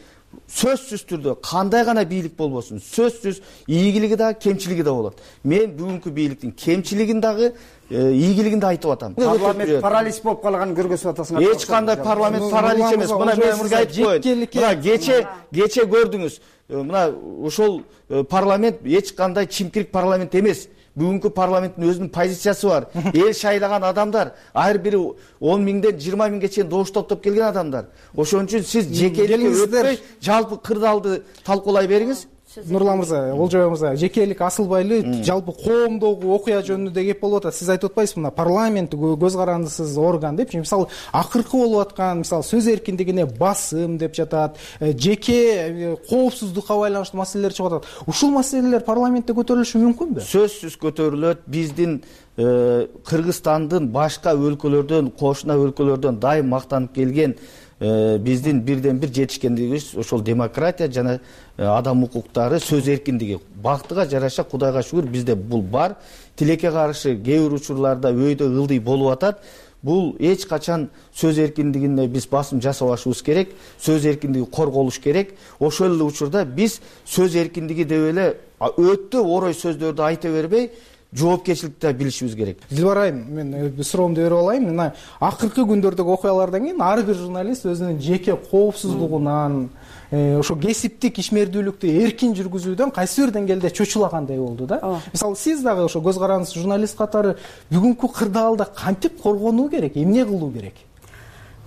сөзсүз түрдө кандай гана бийлик болбосун, сөзсүз ийгилиги да, кемчилиги да болот. Мен бүгүнкү бийликтин кемчилигин дагы, ийгилигин да айтып атам. Парламент паралич болуп калганын көргөзүп атасыңар. Эч кандай парламент паралич эмес. Мына мен сизге айтып коеюн. Мына кече көрдүңүз. Мына ошол парламент эч кандай чимкирик парламент эмес. Бүгүнкү парламенттин өзүнүн позициясы бар. Эл шайлаган адамдар, ар бири 10 миңден 20 миңге чейин добуш топтоп келген адамдар. Ошон үчүн сиз жекеликке өтпөй, жалпы кырдаалды талкуулай бериңиз. Нурлан мырза, Олжобай мырза, жекелик асылбайлы жалпы коомдогу окуя жөнүндө кеп болуп атат. Сиз айтып атпайсызбы, мына парламент көз карандысыз орган депчи. Мисалы, акыркы болуп аткан, мисалы, сөз эркиндигине басым деп жатат, жеке коопсуздукка байланыштуу маселелер чыгып атат. Ушул маселелер парламентте көтөрүлүшү мүмкүнбү? Сөзсүз көтөрүлөт. Биздин Кыргызстандын башка өлкөлөрдөн, кошуна өлкөлөрдөн дайым мактанып келген биздин бирден бир жетишкендигибиз ошол демократия жана адам укуктары, сөз эркиндиги. Бактыга жараша, Кудайга шүгүр, бизде бул бар. Тилекке каршы кээ бир учурларда өйдө ылдый болуп атат. Бул эч качан сөз эркиндигине биз басым жасабашыбыз керек. Сөз эркиндиги корголуш керек. Ошол эле учурда биз сөз эркиндиги деп эле өтө орой сөздөрдү айта бербей, жоопкерчиликти билишибиз керек. Дилбар айым, мен суроомду берип алайын. Мына акыркы күндөрдөгү окуялардан кийин ар бир журналист өзүнүн жеке коопсуздугунан, ошо кесиптик ишмердүүлүктү эркин жүргүзүүдөн кайсы бир деңгээлде чочулагандай болду да. Мисалы, сиз дагы ошо көз карандысыз журналист катары бүгүнкү кырдаалда кантип коргонуу керек, эмне кылуу керек?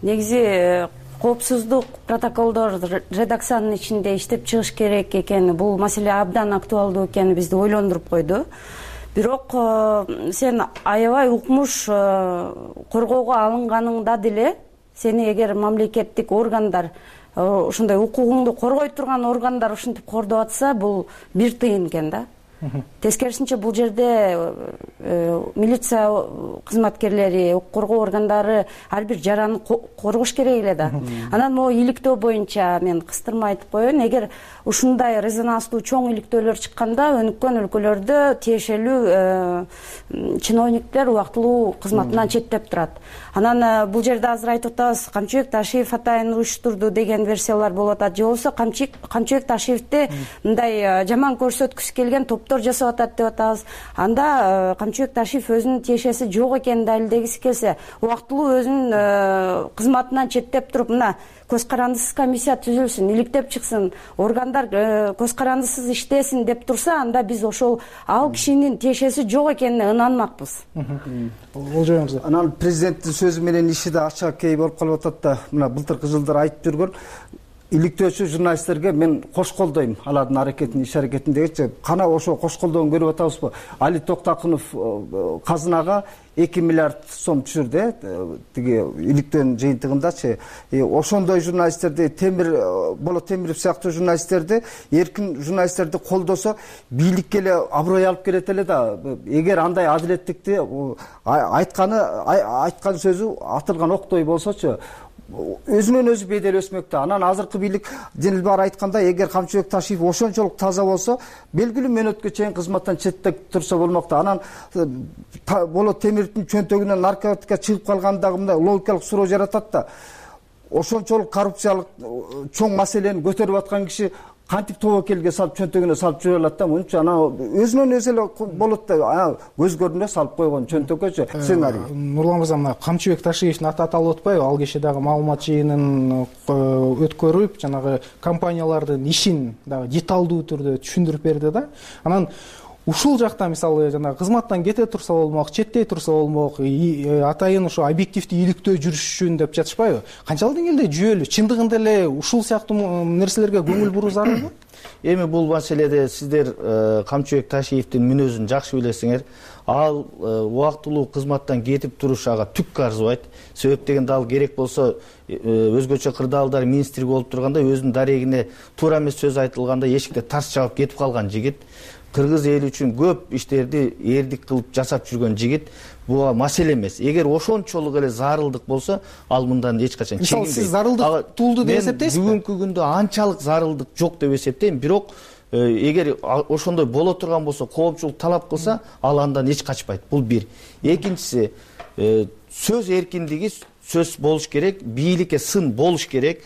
Негизи коопсуздук протоколдор редакциянын ичинде иштеп чыгыш керек экени, бул маселе абдан актуалдуу экени бизди ойлондуруп койду. Бирок сен аябай укмуш коргоого алынганыңда деле сени эгер мамлекеттик органдар ошондой укугуңду коргой турган органдар ушинтип кордоп атса, бул бир тыйын экен да. Тескерисинче бул жерде милиция кызматкерлери, укук коргоо органдары ар бир жараны коргош керек эле да. Анан могу иликтөө боюнча мен кыстырма айтып коеюн, эгер ушундай резонанстуу чоң иликтөөлөр чыкканда өнүккөн өлкөлөрдө тиешелүү чиновниктер убактылуу кызматынан четтеп турат. Анан бул жерде азыр айтып атабыз, Камчыбек Ташиев атайын уюштурду деген версиялар болуп атат. Же болбосо Камчыбек Ташиевди мындай жаман көрсөткүсү келген топтор жасап атат деп атабыз. Анда Камчыбек Ташиев өзүнүн тиешеси жок экенин далилдегиси келсе, убактылуу өзүнүн кызматынан четтеп туруп, мына көз карандысыз комиссия түзүлсүн, иликтеп чыксын, органдар көз карандысыз иштесин деп турса, анда биз ошол ал кишинин тиешеси жок экенине ынанмакпыз. Олжобай мырза, анан президенттин сөзү менен иши да ача кей болуп калып атат да. Мына былтыркы жылдары айтып жүргөн иликтөөчү журналисттерге мен кош колдойм алардын аракетин, иш аракетин дегенчи, кана ошо кош колдоон көрүп атабызбы? Али Токтакынов казынага 2 миллиард сом түшүрдү, тиги иликтөөнүн жыйынтыгындачы. Ошондой журналисттерди, Болот Темиров сыяктуу журналисттерди, эркин журналисттерди колдосо, бийликке эле аброй алып келет эле да. Эгер андай адилеттикти айткан сөзү атылган октой болсочу, өзүнөн өзү бедел өсмөктө. Анан азыркы бийлик Дилбар айткандай, эгер Камчыбек Ташиев ошончолук таза болсо, белгилүү мөөнөткө чейин кызматтан четтеп турса болмокто. Анан Болот Темировдун чөнтөгүнөн наркотика чыгып калгандагы мындай логикалык суроо жаратат да. Ошончолук коррупциялык чоң маселени көтөрүп аткан киши кантип тобокелге салып чөнтөгүнө салып жүрө алат да? Мынча анан өзүнөн өзү эле болот да, көз көрүнө салып койгон чөнтөккөчү сценарий. Нурлан мырза, мына Камчыбек Ташиевдин аты аталып атпайбы? Ал киши дагы маалымат жыйынын өткөрүп, жанагы компаниялардын ишин дагы деталдуу түрдө түшүндүрүп берди да. Анан ушул жакта мисалы жана кызматтан кете турса болмок, четтей турса болмок, атайын ошо объективдүү иликтөө жүрүшүн деп жатышпайбы? Канчалык деңгээлде жүйөлүү? Чындыгында эле ушул сыяктуу нерселерге көңүл буруу зарылбы? Эми бул маселеде сиздер Камчыбек Ташиевдин мүнөзүн жакшы билесиңер. Ал убактылуу кызматтан кетип туруш ага түккө арзыбайт. Себеп дегенде ал керек болсо өзгөчө кырдаалдар министри болуп турганда өзүнүн дарегине туура эмес сөз айтылганда эшикте тарс жабып кетип калган жигит. Кыргыз эли үчүн көп иштерди эрдик кылып жасап жүргөн жигит. Буга маселе эмес. Эгер ошончолук эле зарылдык болсо, ал мындан эч качан чегинбейт. Мисалы, сиз зарылдык туулду деп эсептейсизби? Бүгүнкү күндө анчалык зарылдык жок деп эсептейм. Бирок эгер ошондой боло турган болсо, коопчулук талап кылса, ал андан эч качпайт. Бул бир. Экинчиси, сөз эркиндиги сөз болуш керек, бийликке сын болуш керек.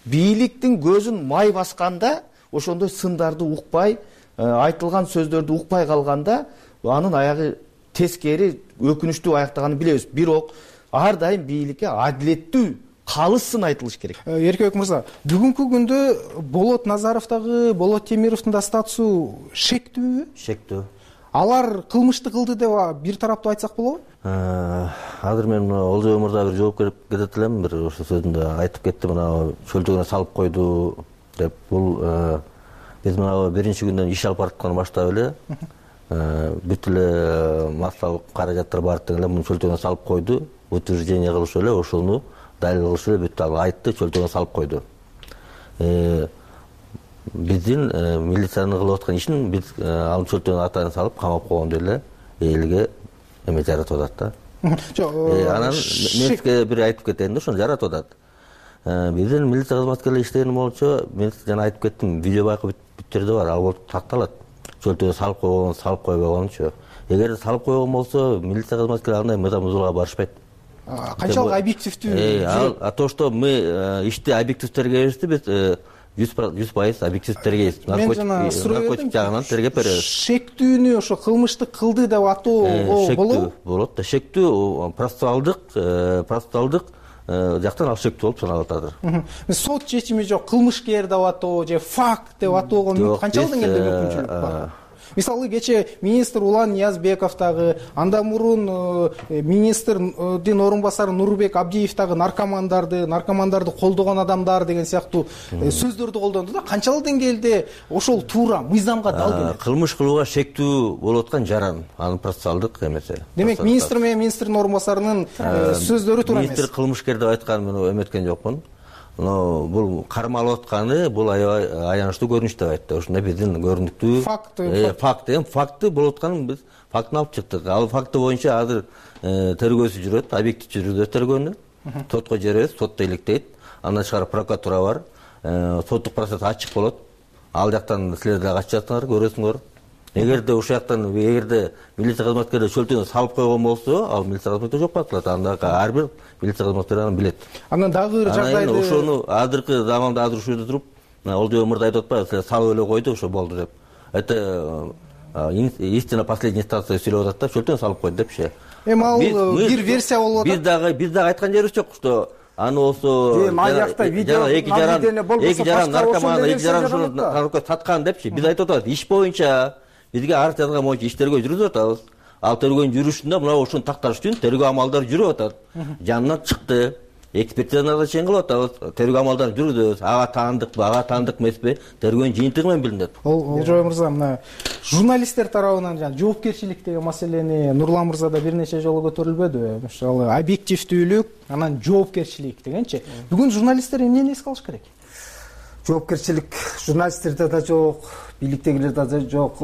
Бийликтин көзүн май басканда, ошондой сындарды укпай, айтылган сөздөрдү укпай калганда, анын аягы тескери өкүнүчтүү аяктаганын билебиз. Бирок ар дайым бийликке адилеттүү калыс сын айтылыш керек. Эркебек мырза, бүгүнкү күндө Болот Назаровдагы, Болот Темировдун да статусу шектүүбү? Шектүү. Алар кылмышты кылды деп бир тараптуу айтсак болобу? Азыр мен Олжобой мырзага бир жооп берип кетет элем. Бир ошо сөзүндө айтып кетти, мына чөлтөгүнө салып койду деп. Бул биз мына биринчи күндөн иш алып бараткандан баштап эле бүт эле массалык каражаттар баардык тең эле муну чөлтөгүнө салып койду. Утверждение кылышып эле ошону далил кылышып эле бүт айтты, чөлтөгүнө салып койду. Биздин милициянын кылып аткан ишин биз анын чөлтөгүнө атайын салып камап койгондо эле элге эме жаратып атат да. Анан мен сизге бир айтып кетейин да, ошону жаратып атат. Биздин милиция кызматкерлери иштеген болчу, мен жана айтып кеттим, видео байкап бүт жерде бар, ал болуп такталат. Чөлтөгүнө салып койгон, салып койбогончу. Эгер салып койгон болсо, милиция кызматкерлери андай мыйзам бузууга барышпайт. Канчалык объективдүү? То, что мы ишти объектив тергейбизди, биз 100% объектив тергейбиз. Мен жана наркотик жагынан тергеп беребиз. Шектүүнү ошо кылмыштык кылды деп атоого болобу? Болот да. Шектүү процессуалдык жактан ал шектүү болуп саналып атат. Сот чечими жок, кылмышкер деп атоо же факт деп атоого канчалык деңгээлде мүмкүнчүлүк бар? Мисалы кече министр Улан Ниязбеков дагы, андан мурун министрдин орун басары Нурбек Абдиев дагы наркомандарды колдогон адамдар деген сыяктуу сөздөрдү колдонду да. Канчалык деңгээлде ошол туура мыйзамга дал келет? Кылмыш кылууга шектүү болуп аткан жаран, анын процессуалдык эмеси. Демек министр менен министрдин орун басарынын сөздөрү туура эмес. Министр кылмышкер деп айткан мен эметкен жокмун. Но бул кармалып атканы бул аябай аянычтуу көрүнүш деп айтты. Ошондой биздин көрүнүктүү факты болуп атканын биз фактын алып чыктык. Ал факты боюнча азыр тергөөсү жүрөт, объектив жүргүзөт тергөөнү. Сотко жиберебиз, сот иликтейт. Андан тышкары прокуратура бар. Соттук процесс ачык болот. Ал жактан силер да качасыңар, көрөсүңөр. Эгерде ошол жактан милиция кызматкерлери чөлтөгүнө салып койгон болсо, ал милиция кызматкерлери жок болот. Анда ар бир милиция кызматкери аны билет. Анан дагы бир жагдайды. Ошону азыркы заманда азыр ушул жерде туруп, Олжобек мырза айтып атпайбы, силер салып эле койду, ошо болду деп. Это истина последняя инстанция сүйлөп атат да, чөлтөгүнө салып койду депчи. Ал бир версия болуп атат. Биз дагы айткан жерибиз жок, что аны болсо эки жаран наркоман, эки жаран ушуну наркотик саткан депчи. Биз айтып атабыз, иш боюнча бизге арыз жазган боюнча иш тергөө жүргүзүп атабыз. Ал тергөөнүн жүрүшүндө мына ошону такташ үчүн тергөө амалдары жүрүп атат. Жанынан чыкты. Экспертизаны чейин кылып атабыз. Тергөө амалдарын жүргүзөбүз. Ага таандыкпы, ага таандык эмеспи? Тергөөнүн жыйынтыгы менен билинет. Олжобек мырза, мына журналисттер тарабынан жана жоопкерчилик деген маселени Нурлан мырза да бир нече жолу көтөрүлбөдүбү? Мисалы, объективдүүлүк, анан жоопкерчилик дегенчи. Бүгүн журналисттер эмнени эске алыш керек? Жоопкерчилик журналисттерде да жок, бийликтегилерде да жок.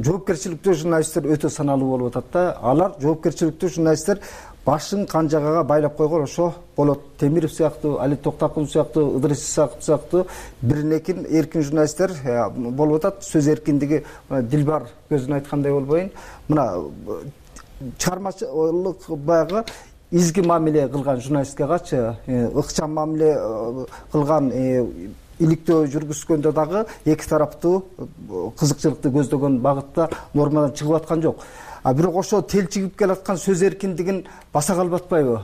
Жоопкерчиликтүү журналисттер өтө саналуу болуп атат да. Алар жоопкерчиликтүү журналисттер башын канжагага байлап койгон ошо Болот Темиров сыяктуу, Али Токтакулов сыяктуу, Ыдырыс сыяктуу биринекин эркин журналисттер болуп атат. Сөз эркиндиги Дилбар көзүн айткандай болбойн. Мына чыгармачылык баягы изги мамиле кылган журналистке качы ыкчам мамиле кылган иликтөө жүргүзгөндө дагы эки тараптуу кызыкчылыкты көздөгөн багытта нормадан чыгып аткан жок. Бирок ошо телчигип келаткан сөз эркиндигин баса калып атпайбы?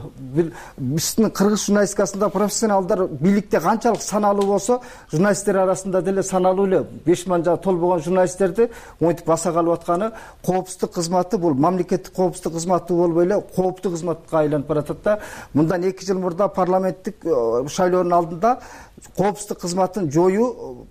Биздин кыргыз журналистикасында профессионалдар бийликте канчалык саналуу болсо, журналисттер арасында деле саналуу эле 5 миңга толбогон журналисттерди монтип баса калып атканы коопсуздук кызматы бул мамлекеттик коопсуздук кызматы болбой эле кооптуу кызматка айланып баратат да. Мындан 2 жыл мурда парламенттик шайлоонун алдында коопсуздук кызматын жоюу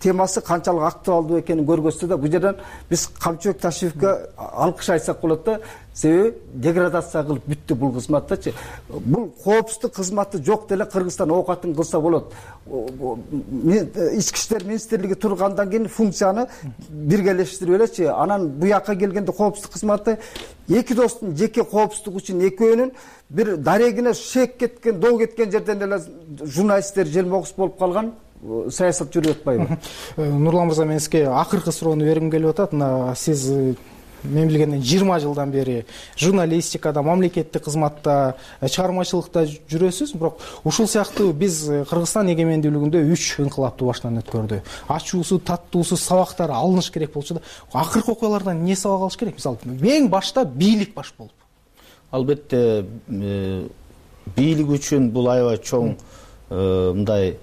темасы канчалык актуалдуу экенин көргөзсө да, бул жерден биз Камчыбек Ташиевке алкыш айтсак болот да. Себеби деградация кылып бүттү бул кызматтачы. Бул коопсуздук кызматы жок деле Кыргызстан оокатын кылса болот. Ички иштер министрлиги тургандан кийин функцияны биргелештирип элечи. Анан бу жакка келгенде коопсуздук кызматы эки достун жеке коопсуздугу үчүн экөөнүн бир дарегине шек кеткен, доо кеткен жерден эле журналисттер желмогус болуп калган саясат жүрүп атпайбы? Нурлан мырза, мен сизге акыркы суроону бергим келип атат. Мына сиз мен билгенден 20 жылдан бери журналистикада, мамлекеттик кызматта, чыгармачылыкта жүрөсүз. Бирок ушул сыяктуу биз Кыргызстан эгемендүүлүгүндө 3 инкылапты баштан өткөрдү. Ачуусу, таттуусу сабактар алыныш керек болчу да. Акыркы окуялардан эмне сабак алыш керек? Мисалы, эң башта бийлик баш болуп. Албетте бийлик үчүн бул аябай чоң мындай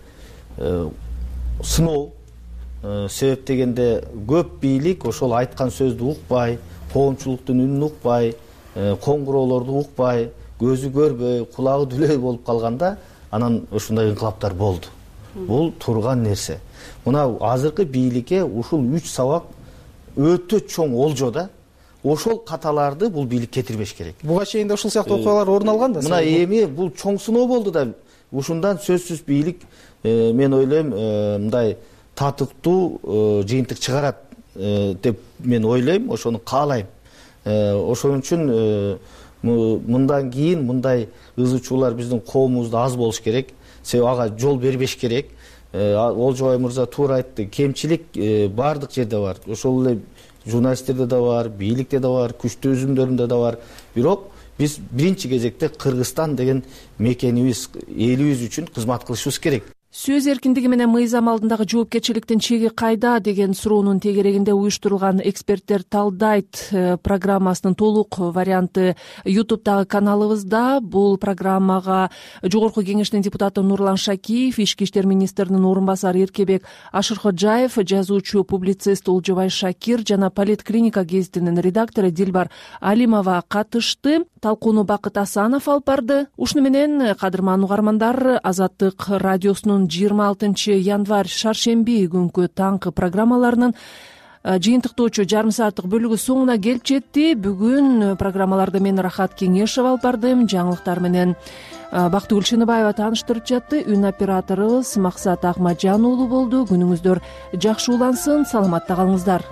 сыноо. Себеп дегенде көп бийлик ошол айткан сөздү укпай, коомчулуктун үнүн укпай, коңгуроолорду укпай, көзү көрбөй, кулагы дүлөй болуп калганда, анан ушундай инкылаптар болду. бул турган нерсе. Мына азыркы бийликке ушул 3 сабак өтө чоң олжо да. Ошол каталарды бул бийлик кетирбеш керек. Буга чейин да ушул сыяктуу окуялар орун алган да. Мына эми бул чоң сыноо болду да. Ушундан сөзсүз бийлик мен ойлойм мындай татыктуу жыйынтык чыгарат деп мен ойлойм, ошону каалайм. Ошон үчүн мындан кийин мындай ызы-чуулар биздин коомубузда аз болуш керек. Себеби ага жол бербеш керек. Олжобай мырза туура айтты, кемчилик баардык жерде бар. Ошол эле журналисттерде да бар, бийликте да бар, күчтүү үзүмдөрүндө да бар. Бирок биз биринчи кезекте Кыргызстан деген мекенибиз, элибиз үчүн кызмат кылышыбыз керек. Сөз эркиндиги менен мыйзам алдындагы жоопкерчиликтин чеги кайда деген суроонун тегерегинде уюштурулган эксперттер талдайт программасынын толук варианты YouTube'дагы каналыбызда. Бул программага Жогорку Кеңештин депутаты Нурлан Шакиев, Ички иштер министринин орун басары Эркебек Ашыркожаев, жазуучу публицист Олжобай Шакир жана Политклиника гезитинин редактору Дилбар Алимова катышты. Талкууну Бакыт Асанов алып барды. Ушуну менен кадырман угармандар, Азаттык радиосунун 26 январь шаршемби күнкү таңкы программаларынын жыйынтыктоочу жарым сааттык бөлүгү соңуна келип жетти. Бүгүн программаларды мен Рахат Кеңешев алып бардым. Жаңылыктар менен Бактыгүл Шыныбаева тааныштырып жатты. Үн операторубуз Максат Акмаджан уулу болду. Күнүңүздөр жакшы улансын, саламатта калыңыздар.